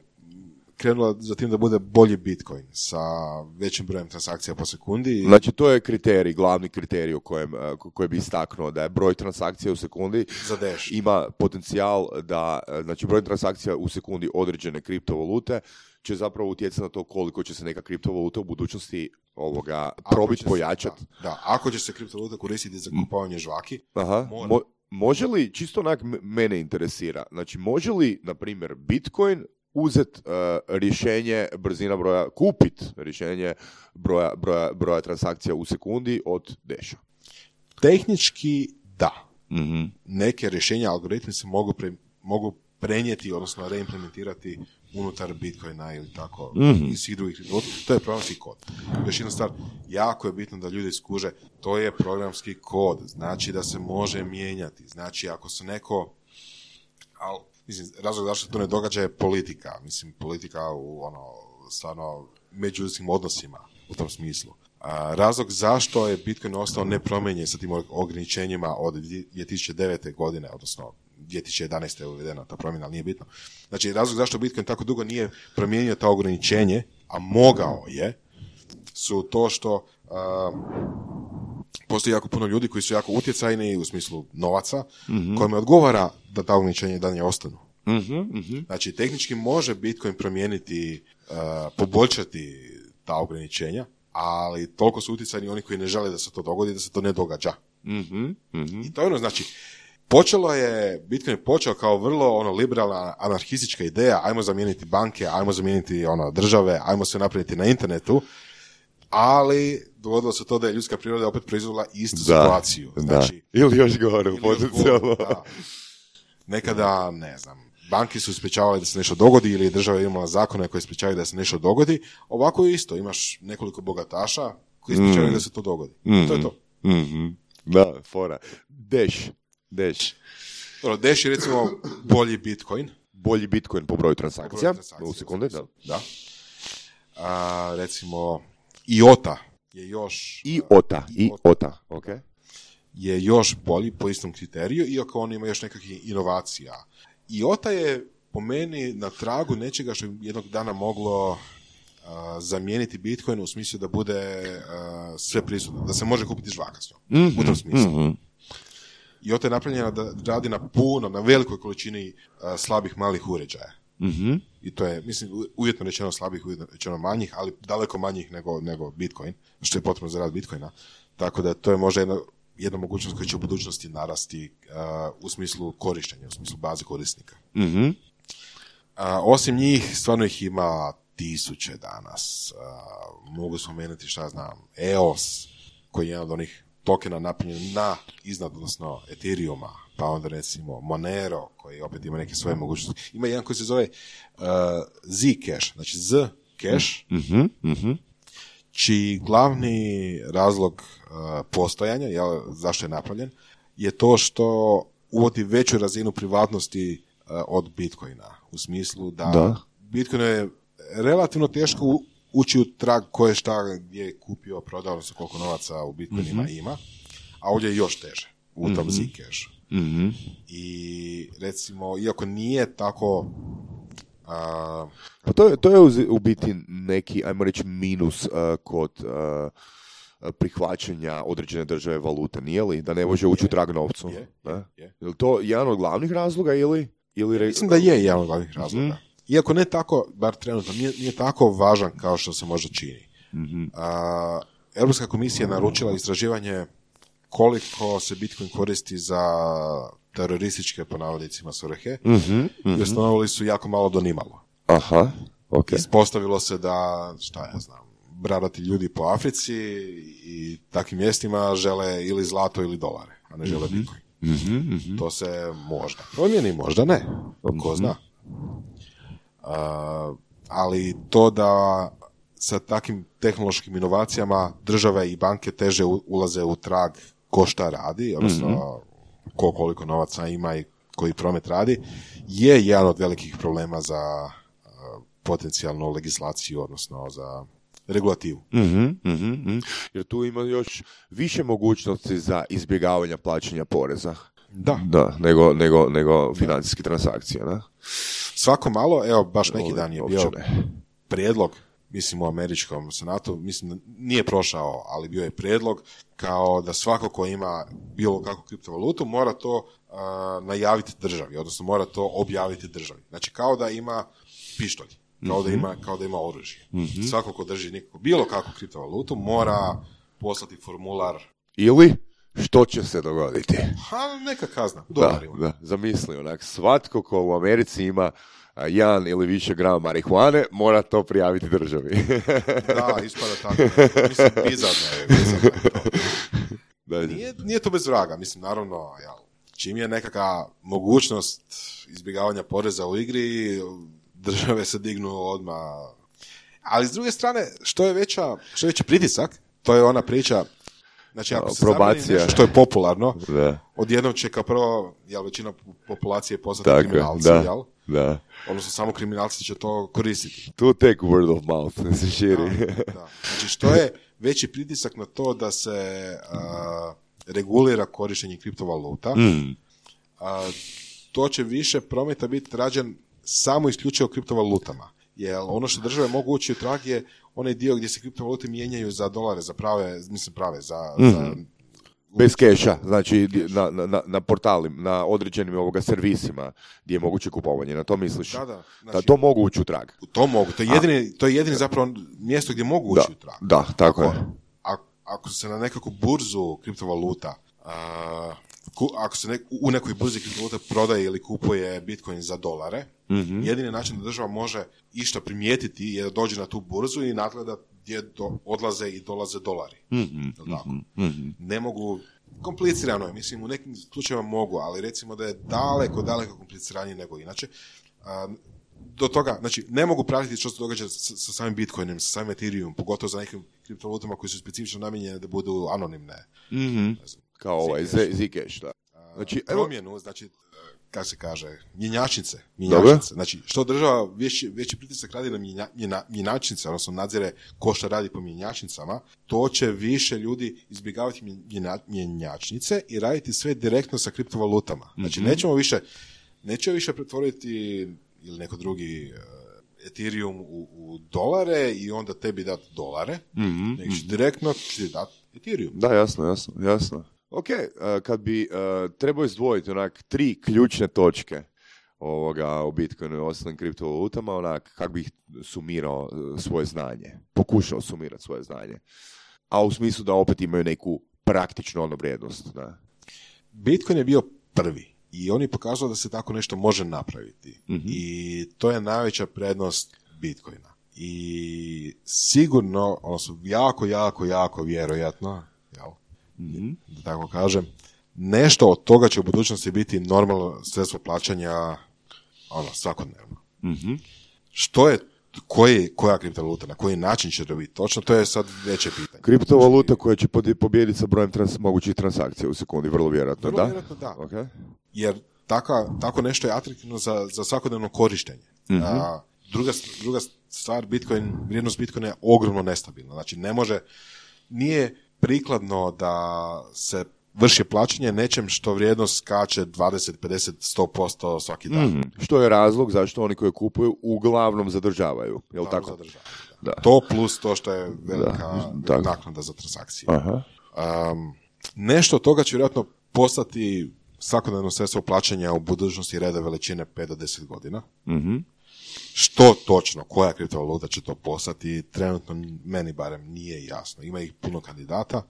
krenula za tim da bude bolji Bitcoin sa većim brojem transakcija po sekundi. Znači, to je kriterij, glavni kriterij u kojem, koji bi istaknuo da je broj transakcija u sekundi za Dash ima potencijal da, znači, broj transakcija u sekundi određene kriptovalute će zapravo utjecati na to koliko će se neka kriptovaluta u budućnosti ovoga probiti, pojačati. Da, da, ako će se kriptovaluta koristiti za kupovanje žvaki, Aha, mora... Mo, može li, čisto onak mene interesira, znači, može li, na primjer, Bitcoin uzeti uh, rješenje brzina broja, kupit rješenje broja, broja, broja transakcija u sekundi od Dasha? Tehnički da. Mm-hmm. Neke rješenja, algoritmi se mogu, pre, mogu prenijeti, odnosno reimplementirati unutar Bitcoina ili tako, mm-hmm. i svih drugih. To je programski kod. Još jedna stvar, jako je bitno da ljudi skuže, to je programski kod, znači da se može mijenjati, znači ako se neko... Al, mislim, razlog zašto to ne događa je politika. Mislim, politika u ono, stvarno, međuljudskim odnosima u tom smislu. A, razlog zašto je Bitcoin ostao nepromijenjen sa tim ograničenjima od dvije tisuće devete. godine, odnosno dvije tisuće jedanaeste. je uvedena ta promjena, ali nije bitno. Znači, razlog zašto Bitcoin tako dugo nije promijenio ta ograničenje, a mogao je, su to što a, postoji jako puno ljudi koji su jako utjecajni u smislu novaca, mm-hmm. kojima odgovara da ta ograničenja i dalje ostanu. Mm-hmm, mm-hmm. Znači, tehnički može Bitcoin promijeniti, uh, poboljšati ta ograničenja, ali toliko su utjecajni oni koji ne žele da se to dogodi, da se to ne događa. Mm-hmm, mm-hmm. I to je ono, znači, počelo je, Bitcoin je počeo kao vrlo ono liberalna anarhistička ideja, ajmo zamijeniti banke, ajmo zamijeniti ono države, ajmo se napraviti na internetu, ali dogodilo se to da je ljudska priroda opet proizvela istu da, situaciju. Znači, da. Ili još gore, potencijalno. Nekada, ne znam, banke su sprečavali da se nešto dogodi ili je država imala zakone koji sprečavaju da se nešto dogodi. Ovako je isto, imaš nekoliko bogataša koji sprečavaju mm. da se to dogodi. Mm. To je to. Mm-hmm. Da, fora. Dash. Dash. Dobro, Dash je recimo bolji Bitcoin. Bolji Bitcoin po broju transakcija. Po broju transakcija u sekunde, da. da. A, recimo, I O T A je još... I O T A, I O T A, ok. Je još bolji po istom kriteriju, iako on ima još nekakvih inovacija. I O T A je po meni na tragu nečega što je jednog dana moglo uh, zamijeniti Bitcoin u smislu da bude uh, sve prisutno, da se može kupiti žvaka s njom, mm-hmm, u tom smislu. Mm-hmm. I O T A je napravljena da radi na puno, na velikoj količini uh, slabih malih uređaja. Mm-hmm. I to je, mislim, uvjetno rečeno slabih, uvjetno rečeno manjih, ali daleko manjih nego, nego Bitcoin, što je potrebno za rad Bitcoina. Tako da to je možda jedna, jedna mogućnost koja će u budućnosti narasti uh, u smislu korištenja, u smislu baze korisnika. Mm-hmm. Uh, osim njih, stvarno ih ima tisuće danas. Uh, mogu spomenuti, šta znam, E O S, koji je jedan od onih tokena napunjen na iznad, odnosno Ethereuma, pa onda recimo Monero, koji opet ima neke svoje mogućnosti. Ima jedan koji se zove uh, Zcash, znači Zcash, mm-hmm, mm-hmm. čiji glavni razlog uh, postojanja, jel, zašto je napravljen, je to što uvodi veću razinu privatnosti uh, od Bitcoina. U smislu da, da. Bitcoin je relativno teško u, ući u trag ko je šta gdje je kupio, prodao, odnosno koliko novaca u Bitcoinima mm-hmm. ima, a ovdje je još teže u tom mm-hmm. Zcashu. Mm-hmm. I recimo, iako nije tako... Uh, pa to je, to je u, u biti neki, ajmo reći, minus uh, kod uh, prihvaćanja određene države valute, nije li? Da ne može ući u trag novcu. Je, je, je, je. Je li to jedan od glavnih razloga ili... ili re... Mislim da je jedan od glavnih razloga. Mm-hmm. Iako ne tako, bar trenutno, nije, nije tako važan kao što se možda čini. Mm-hmm. Uh, Europska komisija je naručila istraživanje koliko se Bitcoin koristi za terorističke, po navodnicima, svrhe, mm-hmm, mm-hmm. i ustanovili su jako malo do nimalo. Aha, ok. Ispostavilo se da, šta ja znam, bradati ljudi po Africi i takvim mjestima žele ili zlato ili dolare, a ne žele mm-hmm. Bitcoin. Mm-hmm, mm-hmm. To se možda promijeni, možda ne. Ko zna. Uh, ali to da sa takvim tehnološkim inovacijama države i banke teže ulaze u trag ko šta radi, odnosno mm-hmm. ko koliko novaca ima i koji promet radi, je jedan od velikih problema za uh, potencijalnu legislaciju, odnosno za regulativu. Mm-hmm, mm-hmm. Jer tu ima još više mogućnosti za izbjegavanje plaćanja poreza. Da. Da, nego, nego, nego financijske transakcije, da? Svako malo, evo, baš neki dan je bio prijedlog, mislim u američkom senatu, mislim nije prošao, ali bio je prijedlog kao da svako ko ima bilo kakvu kriptovalutu mora to uh, najaviti državi, odnosno mora to objaviti državi. Znači kao da ima pištolj, kao da ima, kao da ima oružje. Mm-hmm. Svako ko drži nekako, bilo kakvu kriptovalutu mora poslati formular. Ili što će se dogoditi? Ha, neka kazna. Da, da, zamisli onak, svatko ko u Americi ima jedan ili više grama marihuane, mora to prijaviti državi. Da, ispada tako. Mislim, bizarno je. Bizarno je to. Da. Nije, nije to bez vraga. Mislim, naravno, jel, čim je nekakva mogućnost izbjegavanja poreza u igri, države se dignu odmah. Ali s druge strane, što je veća, što je veći pritisak, to je ona priča. Znači, ako se zabrani nešto što je popularno, da. Odjednom će kao prvo, jel, većina populacije postati tako, kriminalci, da, jel? Da. Odnosno, samo kriminalci će to koristiti. To take word of mouth, ne se širi. Da, da. Znači, što je veći pritisak na to da se uh, regulira korištenje kriptovaluta, mm. uh, to će više prometa biti rađen samo isključivo kriptovalutama. Jer ono što države mogu ući u trag je onaj dio gdje se kriptovalute mijenjaju za dolare, za prave, mislim prave, za... Mm-hmm. za bez keša, znači na, na, na portalima, na određenim ovoga servisima gdje je moguće kupovanje, na to misliš? Da, da. Znači, da to mogu ući u trag. To mogu, to je jedini, to je jedini zapravo mjesto gdje mogu ući da, u trag. Da, tako ako, je. Ako, ako se na nekakvu burzu kriptovaluta, a, ku, ako se nek, u nekoj burzi kriptovaluta prodaje ili kupuje Bitcoin za dolare, mm-hmm. jedini način da država može išta primijetiti je da dođe na tu burzu i nadgleda gdje do, odlaze i dolaze dolari. Mm-hmm. Tako? Mm-hmm. Ne mogu, komplicirano je, mislim, u nekim slučajevima mogu, ali recimo da je daleko, daleko kompliciranije nego inače. A, do toga, znači, ne mogu pratiti što se događa sa, sa samim Bitcoinom, sa samim Ethereum, pogotovo za nekim kriptovalutama koji su specifično namijenjene da budu anonimne. Mm-hmm. Znam, kao ovaj Zcash, da. Znači, promjenu, znači, kako se kaže, mjenjačnice, mjenjačnice. Znači, što država veći, veći pritisak radi na mjenja, mjena, mjenjačnice, odnosno nadzire ko što radi po mjenjačnicama, to će više ljudi izbjegavati mjena, mjenjačnice i raditi sve direktno sa kriptovalutama. Znači, mm-hmm. nećemo više, nećemo više pretvoriti ili neko drugi uh, Ethereum u, u dolare i onda tebi dati dolare, mm-hmm. nego direktno će dati Ethereum. Da, jasno, jasno, jasno. Ok, uh, kad bi uh, trebao izdvojiti onak tri ključne točke ovoga u Bitcoinu i ostalim kriptovalutama, onak kako bih sumirao uh, svoje znanje, pokušao sumirati svoje znanje, a u smislu da opet imaju neku praktičnu ono vrijednost. Da. Bitcoin je bio prvi i on je pokazao da se tako nešto može napraviti. Mm-hmm. I to je najveća prednost Bitcoina. I sigurno, odnosno jako, jako, jako vjerojatno, jel? Mm-hmm. Da tako kažem, nešto od toga će u budućnosti biti normalno sredstvo plaćanja ono, svakodnevno. Mm-hmm. Što je, koji, koja kriptovaluta, na koji način će to biti točno, to je sad veće pitanje. Kriptovaluta koja će pobijediti sa brojem trans, mogućih transakcija u sekundi, vrlo vjerojatno, vrlo da? Vjerojatno, da. Okay. Jer taka, tako nešto je atraktivno za, za svakodnevno korištenje. Mm-hmm. A, druga, druga stvar, Bitcoin, vrijednost Bitcoina je ogromno nestabilna. Znači, ne može, nije prikladno da se vrši plaćanje nečem što vrijednost skače dvadeset, pedeset, sto posto svaki dan. Mm, što je razlog zašto oni koji kupuju uglavnom zadržavaju. Je li tako? Zadržavaju, da. Da. To plus to što je velika da, naknada za transakcije. Aha. Um, nešto od toga će vjerojatno postati svakodnevno sredstvo plaćanja u budućnosti reda veličine pet do deset godina. Mhm. Što točno, koja kriptovaluta će to postati, trenutno meni barem nije jasno. Ima ih puno kandidata,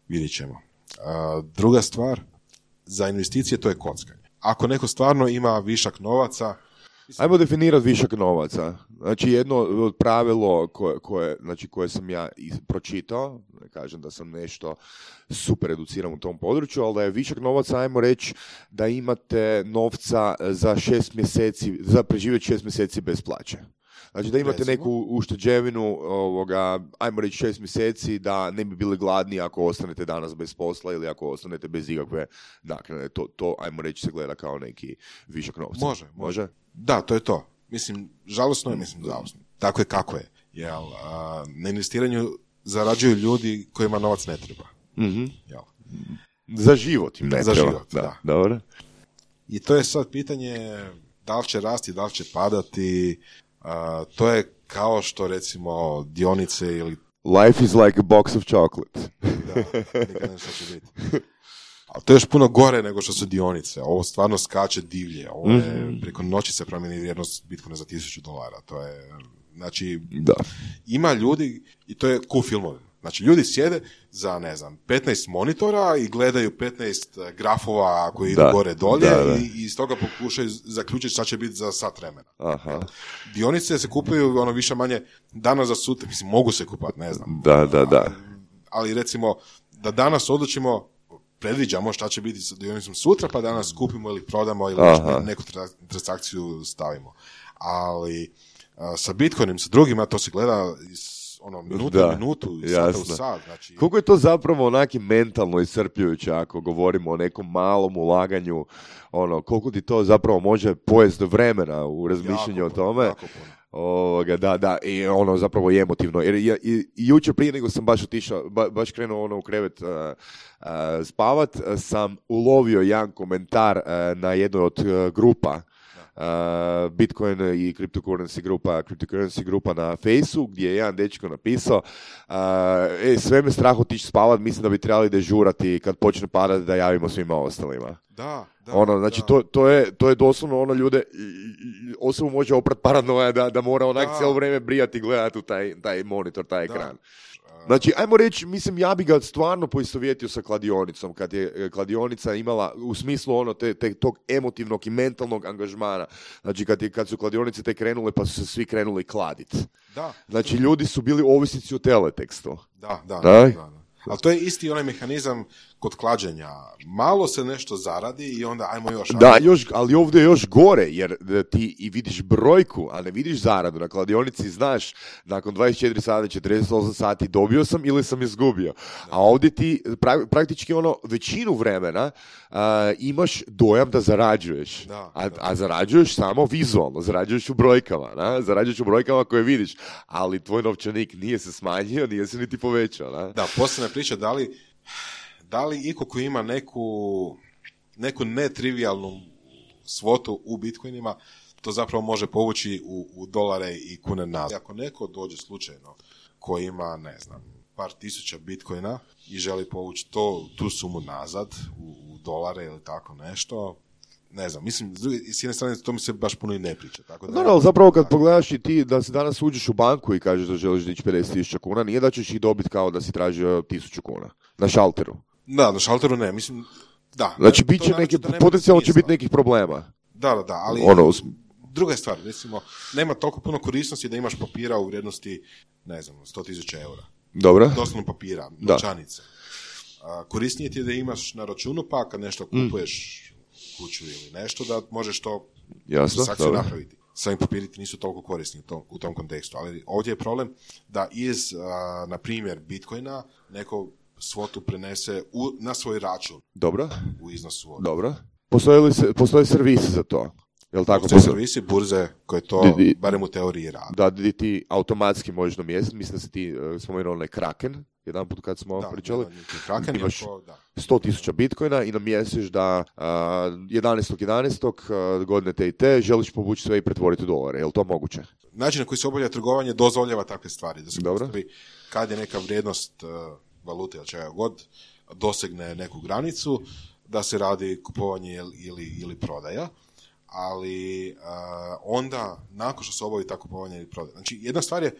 vidjet ćemo. Uh, druga stvar, za investicije to je kockanje. Ako neko stvarno ima višak novaca... Ajmo definirati višak novaca. Znači jedno od pravilo koje, koje, znači koje sam ja pročitao, ne kažem da sam nešto super educiran u tom području, ali da je višak novaca, ajmo reći da imate novca za šest mjeseci, za preživjeti šest mjeseci bez plaće. Znači da imate neku ušteđevinu, ovoga, ajmo reći šest mjeseci, da ne bi bili gladni ako ostanete danas bez posla ili ako ostanete bez ikakve naknade. To, to, ajmo reći, se gleda kao neki višak novca. Može, može. Da, to je to. Mislim, žalosno je, mislim, žalosno. Tako je kako je. Jel, a, na investiranju zarađuju ljudi kojima novac ne treba. Mm-hmm. Jel? Za život im ne Za treba. život, da. da. Dobro. I to je sad pitanje da li će rasti, da li će padati. Uh, to je kao što recimo dionice ili... Life is like a box of chocolate. Da, nikad nešto će biti. A to je još puno gore nego što su dionice. Ovo stvarno skače divlje. Ovo je, mm-hmm. preko noći se promijeni vrijednost Bitcoina za tisuću dolara. To je, znači, da. Ima ljudi, i to je cool filmovi. Znači, ljudi sjede za, ne znam, petnaest monitora i gledaju petnaest grafova koji idu gore dolje da, da. I, i iz toga pokušaju zaključiti šta će biti za sat vremena. Aha. Dionice se kupuju ono više manje danas za sutra, mislim, mogu se kupati, ne znam. Da, da, da. Ali, ali recimo, da danas odlučimo, predviđamo šta će biti sa dionicom sutra, pa danas kupimo ili prodamo ili Aha. neku transakciju stavimo. Ali a, sa Bitcoinom, sa drugima, to se gleda iz ono, minutu da, minutu, sata u sat. Znači... Koliko je to zapravo onaki mentalno iscrpljujuće ako govorimo o nekom malom ulaganju, ono, koliko ti to zapravo može pojesti vremena u razmišljanju o tome. Jako puno. Ovoga, da, da, i ono zapravo je emotivno. Jer ja, i, i jučer prije nego sam baš otišao, ba, baš krenuo ono u krevet uh, uh, spavat, uh, sam ulovio jedan komentar uh, na jednoj od uh, grupa uh, Bitcoin i cryptocurrency grupa, cryptocurrency grupa na Fejsu, gdje je jedan dečko napisao uh, e, sve me strah otići spavat, mislim da bi trebali dežurati kad počne padati da javimo svima ostalima. Da, da. Ono, znači, da. to, to, je, to je doslovno ono ljude, osobu može oprat paranoja da, da mora onak Da. cijelo vrijeme brijati i gledati u taj, taj monitor, taj Da. ekran. Znači, ajmo reći, mislim, ja bi ga stvarno poistovjetio sa kladionicom, kad je kladionica imala, u smislu ono, te, te, tog emotivnog i mentalnog angažmana. Znači, kad, je, kad su kladionice te krenule, pa su se svi krenuli kladiti. Da. Znači, ljudi su bili ovisnici o teletekstu. Da, da, Da? da, da. Ali to je isti onaj mehanizam kod klađenja. Malo se nešto zaradi i onda ajmo još. Da, još, ali ovdje je još gore, jer ti i vidiš brojku, a ne vidiš zaradu. Na kladionici znaš, nakon dvadeset četiri sata, četrdeset osam sati dobio sam ili sam izgubio. A ovdje ti pra, praktički ono većinu vremena uh, imaš dojam da zarađuješ. Da, a, da. a zarađuješ samo vizualno, zarađuješ u brojkama. Na? Zarađuješ u brojkama koje vidiš, ali tvoj novčanik nije se smanjio, nije se niti povećao. Na? Da, posljedna priča, da li, da li iko ko ima neku, neku netrivijalnu svotu u bitcoinima, to zapravo može povući u, u dolare i kune nazad. Ako neko dođe slučajno ko ima, ne znam, par tisuća bitcoina i želi povući to, tu sumu nazad u, u dolare ili tako nešto, ne znam, mislim, s, druge, s jedne strane to mi se baš puno i ne priča. Tako da, No, no, zapravo kad pogledaš i ti da se danas uđeš u banku i kažeš da želiš dići pedeset tisuća kuna, nije da ćeš ih dobiti kao da si tražio tisuću kuna na šalteru. Da, na šalteru ne, mislim, da. Znači, to bit će naročito neke, nema potencijalno će smisla. biti nekih problema. Da, da, da, ali Ono, us- druga je stvar, recimo, nema toliko puno korisnosti da imaš papira u vrijednosti, ne znam, sto tisuća eura. Dobro? Doslovno papira, Da. novčanice. A, korisnije ti je da imaš na računu, pa kad nešto kupuješ kuću ili nešto, da možeš to Jasno, transakciju dobro. napraviti. Sami papiri ti nisu toliko korisni u tom, u tom kontekstu, ali ovdje je problem da iz, a, na primjer, Bitcoina neko svotu prenese u, na svoj račun Dobro? u iznosu od Dobro. Postoje li se, postoje servisi za to? Jel tako? Postoje Postoje- servisi, burze koje to, Di- di- barem u teoriji rade. Da, di ti automatski možeš namjestiti, mislim da si ti uh, spomenuo onaj Kraken, jedan put kad smo Da, pričali, jedan je Kraken, imaš iako, da. sto tisuća bitcoina i namjestiš da uh, jedanaestog jedanaestog uh, godine te i te želiš povući sve i pretvoriti u dolare. Je li to moguće? Način na koji se obavlja trgovanje dozvoljava takve stvari. Da se Dobro. postavi kad je neka vrijednost uh, valute ili čega god dosegne neku granicu, da se radi kupovanje ili, ili, ili prodaja. Ali uh, onda, nakon što se obavi ta kupovanje ili prodaja. Znači, jedna stvar je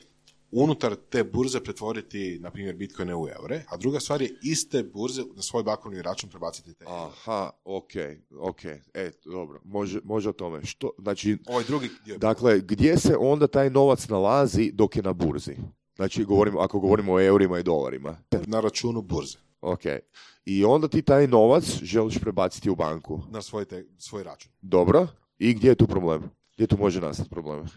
unutar te burze pretvoriti, na primjer, bitcoine u eure, a druga stvar je iste burze na svoj bankovni račun prebaciti te eure. Aha, ok, ok, e, dobro, može, može o tome. Što, znači, Ovaj drugi dio je dakle, gdje se onda taj novac nalazi dok je na burzi? Znači, govorimo, ako govorimo o eurima i dolarima. na računu burze, Ok. I onda ti taj novac želiš prebaciti u banku. na svoj, te, svoj račun. Dobro. I gdje je tu problem? Gdje tu može nastati problem?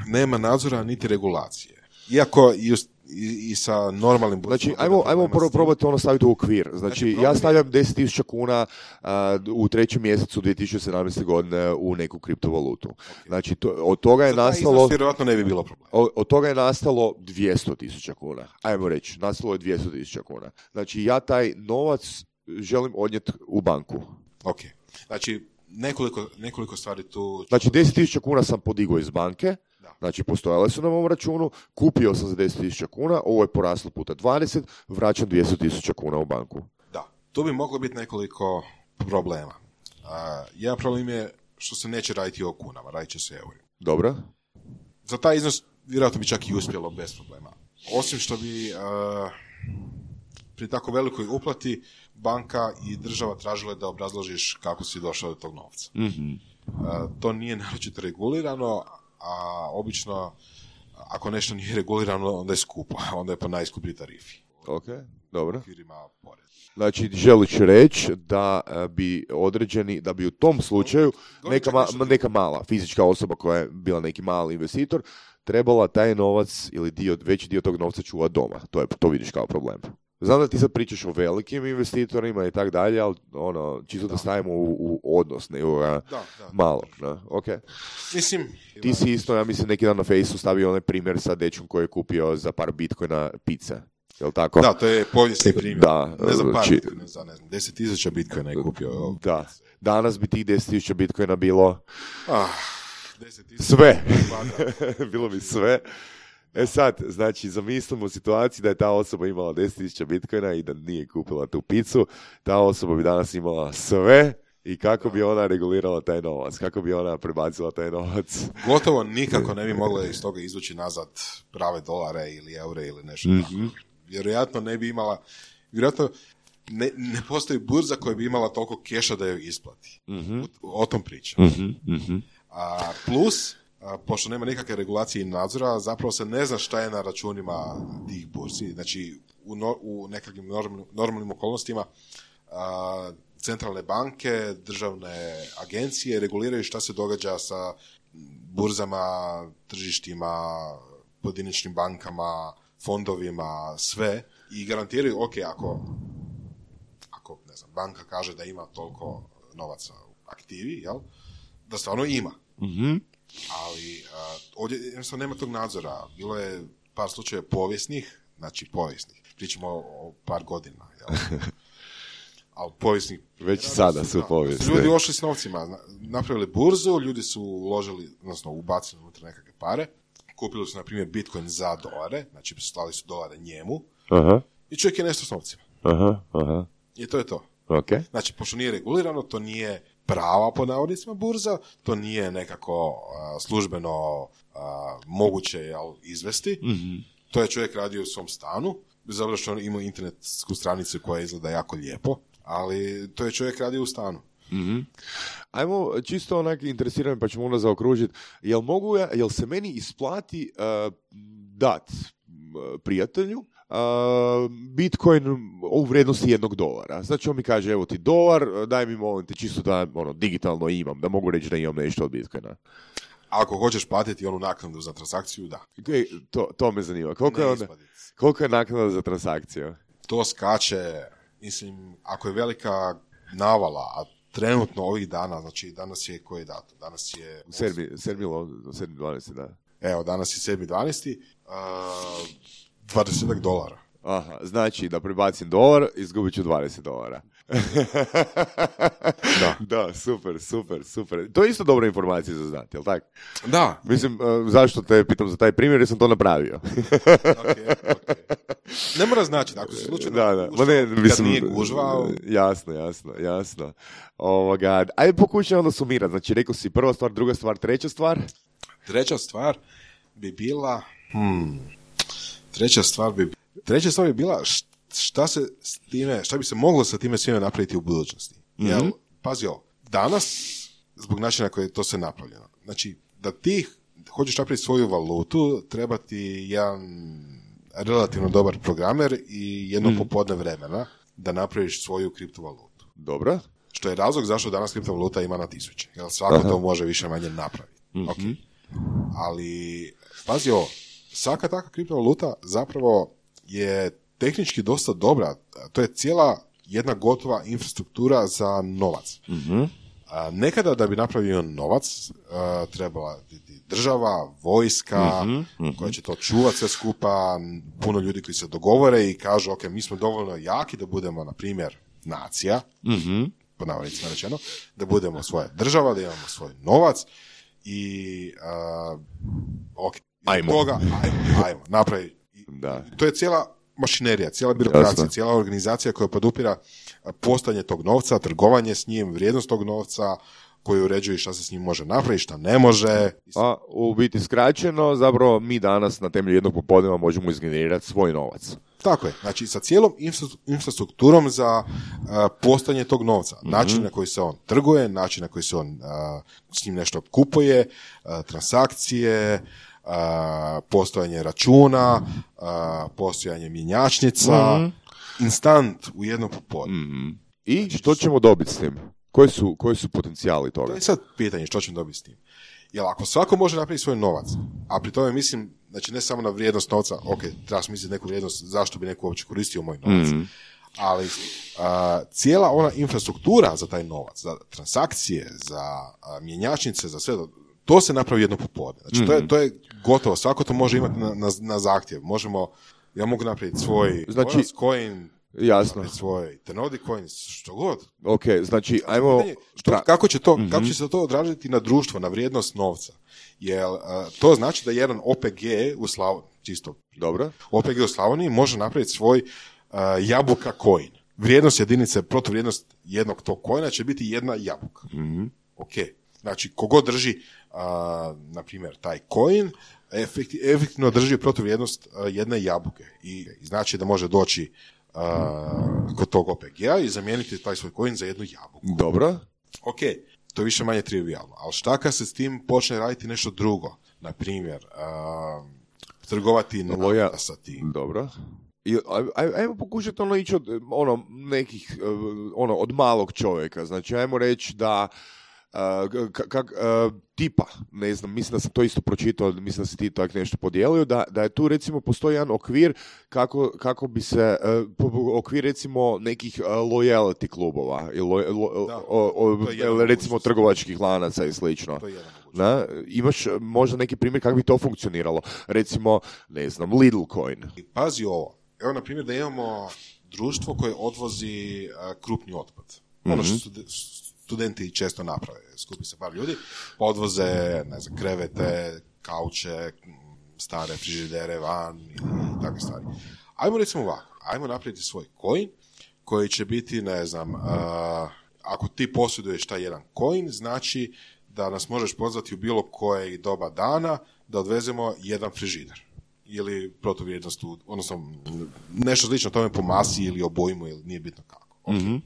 Nema nadzora niti regulacije. Iako i, us- i, i sa normalnim burzama... Znači, bude ajmo, problema ajmo s prvo tim. probati ono staviti u okvir. Znači, Znači, problem ja je- stavljam deset tisuća kuna a, u trećem mjesecu dvije tisuće sedamnaeste. godine u neku kriptovalutu. Znači, to, od toga je Za taj nastalo... iznos vjerojatno ne bi bilo problema. O- Od toga je nastalo dvjesto tisuća kuna. Ajmo reći, nastalo je dvjesto tisuća kuna. Znači, ja taj novac želim odnijeti u banku. Ok. Znači, nekoliko, nekoliko stvari tu... Znači, deset tisuća kuna sam podigao iz banke, Da. znači postojale su na mom računu, kupio sam za deset tisuća kuna, ovo je poraslo puta dvadeset, vraćam dvjesto tisuća kuna u banku. Da. Tu bi moglo biti nekoliko problema. A, jedan problem je što se neće raditi o kunama, radit će se eurima. Dobro? Za taj iznos vjerojatno bi čak i uspjelo bez problema. Osim što bi a, pri tako velikoj uplati banka i država tražile da obrazložiš kako si došao do tog novca. Mm-hmm. A, to nije naročito regulirano, a obično ako nešto nije regulirano, onda je skupo, onda je po najskuplji tarifi. Ok, dobro. Firima porez. Znači, želiš reći da e, bi određeni, da bi u tom slučaju Govorim neka, čak ma- nešto drugo. neka mala fizička osoba koja je bila neki mali investitor, trebala taj novac ili dio, veći dio tog novca čuvati doma. To, je, to vidiš kao problem. Znam da ti sad pričaš o velikim investitorima i tak dalje, ali ono, čisto da, Da. stavimo u, u odnos nekoga Da, da. malog. Ne? Ok. Mislim, Ti si isto, ja mislim, neki dan na Fejsu stavio onaj primjer sa dečkom koji je kupio za par bitcoina pizza. Jel tako? da, to je povijesni primjer. Da, ne znam, par znači- bitcoina, za ne znam, deset tisuća bitcoina je kupio. Da. danas bi tih deset tisuća bitcoina bilo Ah, deset tisuća sve. kvadrat. Bilo bi sve. E sad, znači, zamislimo u situaciji da je ta osoba imala deset tisuća bitcoina i da nije kupila tu picu, ta osoba bi danas imala sve i kako bi ona regulirala taj novac, kako bi ona prebacila taj novac. Gotovo nikako ne bi mogla iz toga izvući nazad prave dolare ili eure ili nešto. Mm-hmm. Vjerojatno ne bi imala, vjerojatno ne, ne postoji burza koja bi imala toliko keša da joj isplati. Mm-hmm. O, o tom pričam. Mm-hmm. Mm-hmm. A, plus, a, pošto nema nikakve regulacije i nadzora, zapravo se ne zna šta je na računima tih burzi. Znači, u, no, u nekakvim normalnim, normalnim okolnostima a, centralne banke, državne agencije reguliraju šta se događa sa burzama, tržištima, pojedinačnim bankama, fondovima, sve. I garantiraju, ok, ako, ako ne znam, banka kaže da ima toliko novaca u aktivi, jel? Da stvarno ima. Mm-hmm. Ali a, ovdje jednostavno nema tog nadzora. Bilo je par slučajeva povijesnih, znači povijesnih. Pričamo o, o par godina, jel? Ali povijesnih... Već sada su povijesni. Ljudi ošli s novcima, napravili burzu, ljudi su uložili, odnosno ubacili unutra nekakve pare, kupili su, na primjer, Bitcoin za dolare, znači slali su dolare njemu, Aha. i čovjek je nešto s novcima. Aha, aha. I to je to. Okay. Znači, pošto nije regulirano, to nije prava po navodnicima burza, to nije nekako uh, službeno uh, moguće jel, izvesti. Mm-hmm. To je čovjek radio u svom stanu, bez obzira što on ima internetsku stranicu koja izgleda jako lijepo, ali to je čovjek radio u stanu. Mm-hmm. Ajmo, čisto onak interesirano, pa ćemo onda zaokružiti, jel mogu ja, jel se meni isplati uh, dat uh, prijatelju uh, Bitcoin u vrijednosti jednog dolara? Znači on mi kaže, evo ti dolar, daj mi molim te čisto da ono, digitalno imam, da mogu reći da imam nešto od Bitcoina. Ako hoćeš platiti onu naknadu za transakciju, da. E, to, to me zanima. Koliko je, onda, koliko je naknada za transakciju? To skače, mislim, ako je velika navala, a trenutno ovih dana, znači danas je koji datum? Danas je... sedmi dvanaesti, da. Evo, danas je sedmi dvanaesti, uh, dvadeset dolara. Aha, znači da prebacim dolar, izgubit ću dvadeset dolara. Da. Da, super, super, super. To je isto dobra informacija za znati, jel tako? Da. Mislim, uh, zašto te pitam za taj primjer, jer sam to napravio. Okay, okay. Ne mora značiti, ako se slučajno da, da. gužva, Ne, mislim, kad nije gužva... Jasno, jasno, jasno. Ovoga, ajde pokušaj onda sumirati. Znači, rekao si prva stvar, druga stvar, treća stvar? Treća stvar bi bila... Hmm, treća stvar bi... Treća stvar bi bila šta se s time, šta bi se moglo sa time svime napraviti u budućnosti. Mm-hmm. Jel, pazi ovo, danas, zbog načina koje je to sve napravljeno, znači, da ti hoćeš napraviti svoju valutu, treba ti jedan relativno dobar programer i jedno mm-hmm. popodne vremena da napraviš svoju kriptovalutu. Dobro. Što je razlog zašto danas kriptovaluta ima na tisuće. Jer svako Aha. to može više manje napraviti. Mm-hmm. Okay. Ali, pazi ovo, svaka takva kriptovaluta zapravo je tehnički dosta dobra. To je cijela jedna gotova infrastruktura za novac. Mm-hmm. A, nekada da bi napravio novac a, trebala biti država, vojska, mm-hmm. koja će to čuvati sve skupa, puno ljudi koji se dogovore i kažu, ok, mi smo dovoljno jaki da budemo, na primjer, nacija, mm-hmm. po navodnicima rečeno, da budemo svoja država, da imamo svoj novac i uh, ok, ajmo. Toga, ajmo, ajmo, napravi. Da. To je cijela mašinerija, cijela birokracija, Jasno. cijela organizacija koja podupira postojanje tog novca, trgovanje s njim, vrijednost tog novca, koji uređuje šta se s njim može napraviti, šta ne može. A u biti skraćeno, zapravo mi danas na temelju jednog popodneva možemo izgenerirati svoj novac. Tako je. Znači, sa cijelom infrastrukturom za uh, postojanje tog novca. Mm-hmm. Način na koji se on trguje, način na koji se on uh, s njim nešto kupuje, uh, transakcije, uh, postojanje računa, uh, postojanje mjenjačnica, mm-hmm. instant u jednom popodne. Mm-hmm. I znači, što ćemo dobiti s tim? Koji su, koji su potencijali toga? To je sad pitanje što ćemo dobiti s tim. Jer ako svako može napraviti svoj novac, a pri tome mislim, znači ne samo na vrijednost novca, ok, treba smisliti neku vrijednost, zašto bi neko uopće koristio moj novac, mm. ali a, cijela ona infrastruktura za taj novac, za transakcije, za a, mjenjačnice, za sve, to se napravi jedno popodne. Znači mm. to, je, to je gotovo, svako to može imati na, na, na zahtjev. Možemo, ja mogu napraviti svoj znači, coin, Jasno. Svoj Tenodi coins, što god. Ok, znači, ajmo... Što, Pra... kako, će to, mm-hmm. kako će se to odraziti na društvo, na vrijednost novca? Jer uh, to znači da jedan O P G u Slavoniji, čisto Dobro. O P G u Slavoniji može napraviti svoj uh, jabuka coin. Vrijednost jedinice, protuvrijednost jednog tog coina će biti jedna jabuka. Mm-hmm. Ok, znači kogod drži, uh, na primjer, taj coin, efekti, efektivno drži protuvrijednost uh, jedne jabuke. I znači da može doći uh, kod tog O P G-a i zamijeniti taj svoj coin za jednu jabuku. Dobro. Ok, to je više manje trivialno, ali šta kad se s tim počne raditi nešto drugo? Na primjer, uh, trgovati na Loja... sa tim. Dobro. I, aj, ajmo pokušati ono ići od ono, nekih, ono, od malog čovjeka. Znači, ajmo reći da Uh, kak, kak, uh, tipa, ne znam, mislim da sam to isto pročitao, mislim da si ti tako nešto podijelio, da, da je tu recimo postoji jedan okvir kako, kako bi se, uh, okvir recimo nekih uh, loyalty klubova, ili lo, lo, da, o, o, recimo trgovačkih lanaca i slično. Na, imaš možda neki primjer kako bi to funkcioniralo? Recimo, ne znam, Lidl coin. Pazi ovo, evo na primjer da imamo društvo koje odvozi uh, krupni otpad. Mm-hmm. Ono što su studenti često naprave, skupi se par ljudi, odvoze, ne znam, krevete, kauče, stare frižidere van i takve stvari. Ajmo recimo ovako, ajmo napraviti svoj coin koji će biti, ne znam, uh, ako ti posjeduješ taj jedan coin, znači da nas možeš pozvati u bilo koje doba dana da odvezemo jedan frižider. Ili protuvrijednost, odnosno nešto slično tome po masi ili obojmu, ili nije bitno kako. Okay. Mm-hmm.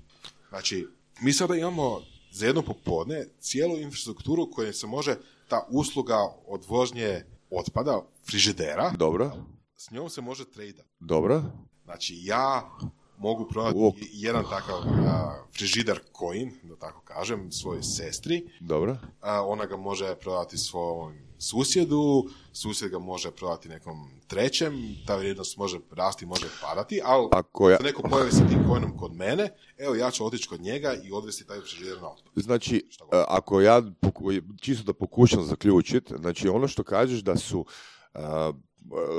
Znači, mi sada imamo za jedno popodne cijelu infrastrukturu koja se može, ta usluga odvožnje otpada, frižidera, dobro, s njom se može tradati. Dobro. Znači, ja mogu prodati Uop. jedan takav uh, frižider coin, da tako kažem, svojoj sestri. Dobro. Uh, ona ga može prodati svom susjedu, susjed ga može prodati nekom trećem, ta vrijednost može rasti, može padati, ali ako ja... se neko pojavi sa tim coinom kod mene, evo ja ću otići kod njega i odvesti taj frižider na otpad. Znači, ako ja, čisto da pokušam zaključiti, znači ono što kažeš da su uh,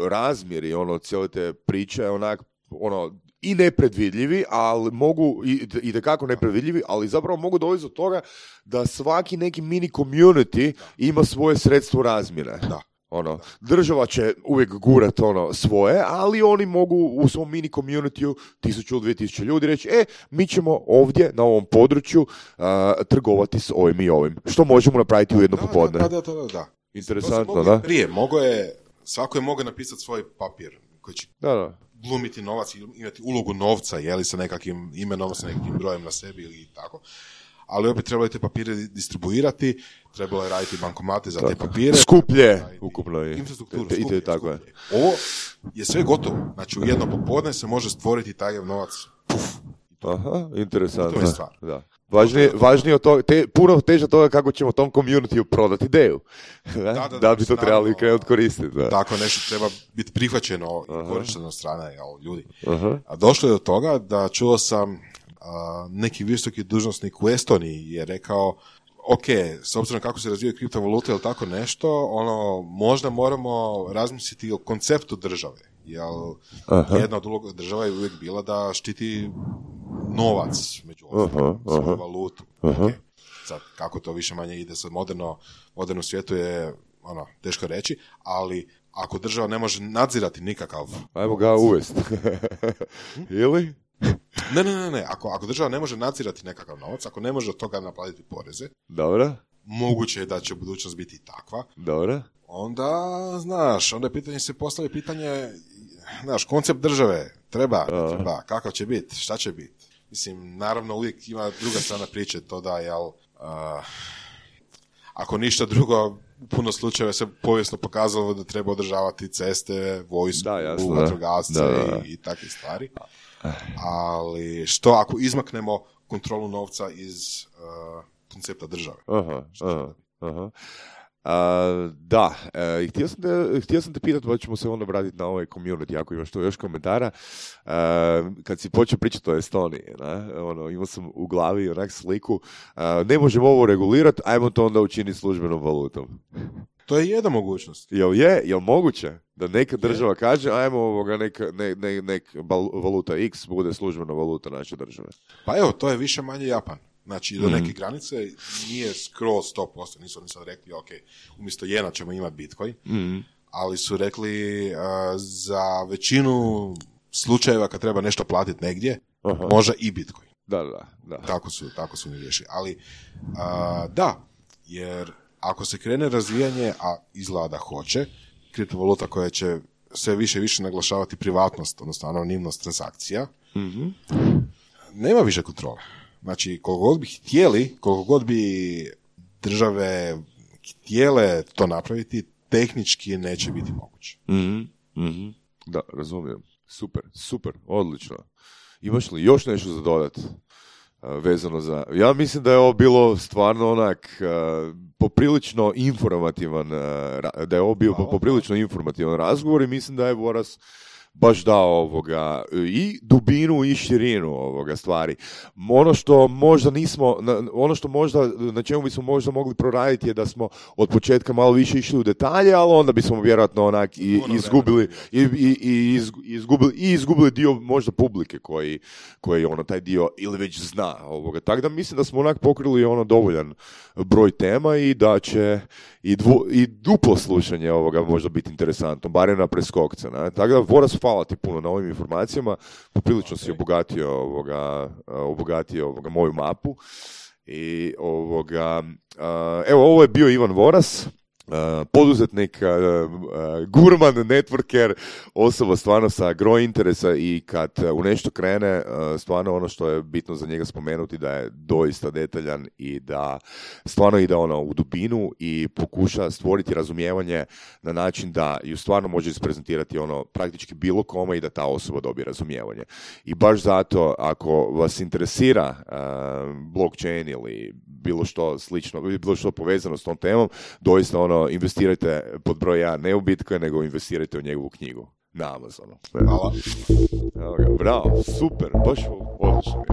razmjeri ono cijele te priče onak ono i nepredvidljivi, ali mogu i, i tekako nepredvidljivi, ali zapravo mogu dovesti do toga da svaki neki mini community ima svoje sredstvo razmjere. Da. Ono, država će uvijek gurat ono svoje, ali oni mogu u svom mini community tisuću ili dvije tisuće ljudi reći, e, mi ćemo ovdje na ovom području uh, trgovati s ovim i ovim. Što možemo napraviti u jedno da, popodne. Da, da, da, da, da. Interesantno, da? Prije, mogo je, svako je mogao napisati svoj papir koji će da, da. glumiti novac, imati ulogu novca, jeli sa nekakvim imenom, sa nekakvim brojem na sebi ili tako. Ali opet trebalo je te papire distribuirati, trebalo je raditi bankomate za tako. Te papire. Skuplje, ukupno je. Infrastrukturu, te, skuplje, tako je. Ovo je sve gotovo. Znači, u jedno popodne se može stvoriti taj novac. Puf. Aha, interesantno. To je stvar. Da. Važnije, važnije od toga, te, puno teže toga kako ćemo tom community prodati ideju. Da, da, da, da bi to trebali krenuti koristiti. Da. Tako nešto treba biti prihvaćeno i korišteno od strane ljudi. Aha. A došlo je do toga da čuo sam a, neki visoki dužnosnik u Estoniji je rekao, ok, s obzirom kako se razvijaju kriptovalute ili tako nešto, ono, možda moramo razmisliti o konceptu države. Jer aha. jedna od uloga država je uvijek bila da štiti novac, među ostalim, svoju valutu. Okay. Sad, kako to više manje ide sad moderno, moderno svijetu je ono, teško reći, ali ako država ne može nadzirati nikakav... Ajmo ga uvesti. Ili? Ne, ne, ne, ne. Ako, ako država ne može nadzirati nekakav novac, ako ne može od toga naplatiti poreze, dobro. Moguće je da će budućnost biti takva. Dobro. Onda, znaš, onda je pitanje se postavi pitanje, znaš, koncept države, treba, ne treba, kakav će biti, šta će biti. Mislim, naravno uvijek ima druga strana priče, to da, jel, uh, ako ništa drugo, u puno slučajeva se povijesno pokazalo da treba održavati ceste, vojsku, vatrogasce i, i takve stvari. Ali što ako izmaknemo kontrolu novca iz uh, koncepta države? Aha, aha, aha. Uh, da, uh, htio, sam te, htio sam te pitati, pa ćemo se onda vratiti na ovaj community, ako imaš tu još komentara. Uh, kad si počeo pričati o Estoniji, ne? Ono, imao sam u glavi onak sliku, uh, ne možemo ovo regulirati, ajmo to onda učiniti službenom valutom. To je jedna mogućnost. Jel je, jel moguće da neka država kaže ajmo ovoga neka, ne, ne, nek valuta X bude službena valuta naše države? Pa evo, to je više manje Japan. Znači, do mm. neke granice nije skroz sto posto. Nisu oni sad rekli, ok, umjesto jena ćemo imati Bitcoin, mm. ali su rekli uh, za većinu slučajeva kad treba nešto platiti negdje, aha, može i Bitcoin. Da, da, da. Tako su, tako su mi riješili. Ali, uh, da, jer ako se krene razvijanje, a izgleda da hoće, kriptovaluta koja će sve više i više naglašavati privatnost, odnosno anonimnost transakcija, mm-hmm. nema više kontrole. Znači, koliko god bi htjeli, koliko god bi države htjele to napraviti, tehnički neće biti moguće. Mm-hmm. Mm-hmm. Da, razumijem. Super, super, odlično. Imaš li još nešto za dodat? Vezano za... Ja mislim da je ovo bilo stvarno onak uh, poprilično informativan, uh, da je ovo bio poprilično informativan razgovor i mislim da je Voras baš dao ovoga i dubinu i širinu ovoga stvari. Ono što možda nismo, ono što možda, na čemu bismo možda mogli proraditi je da smo od početka malo više išli u detalje, ali onda bismo vjerojatno onak i izgubili i, i, i izgubili i izgubili dio možda publike koji, koji ono taj dio ili već zna ovoga. Tako da mislim da smo onak pokrili ono dovoljan broj tema i da će i, dvu, i duplo slušanje ovoga možda biti interesantno, barem na preskokce. Ne? Tako da Voras, hvala ti puno na ovim informacijama, poprilično si obogatio ovoga, obogatio ovoga moju mapu i ovoga, evo ovo je bio Ivan Voras, poduzetnik, gurman, networker, osoba stvarno sa gro interesa i kad u nešto krene, stvarno ono što je bitno za njega spomenuti da je doista detaljan i da stvarno ide ono u dubinu i pokuša stvoriti razumijevanje na način da ju stvarno može isprezentirati ono praktički bilo kome i da ta osoba dobije razumijevanje. I baš zato ako vas interesira uh, blockchain ili bilo što slično, bilo što povezano s tom temom, doista ono investirajte pod broj jedan, ne u Bitcoin, nego investirajte u njegovu knjigu na Amazonu. Hvala. Bravo, super, baš odlično.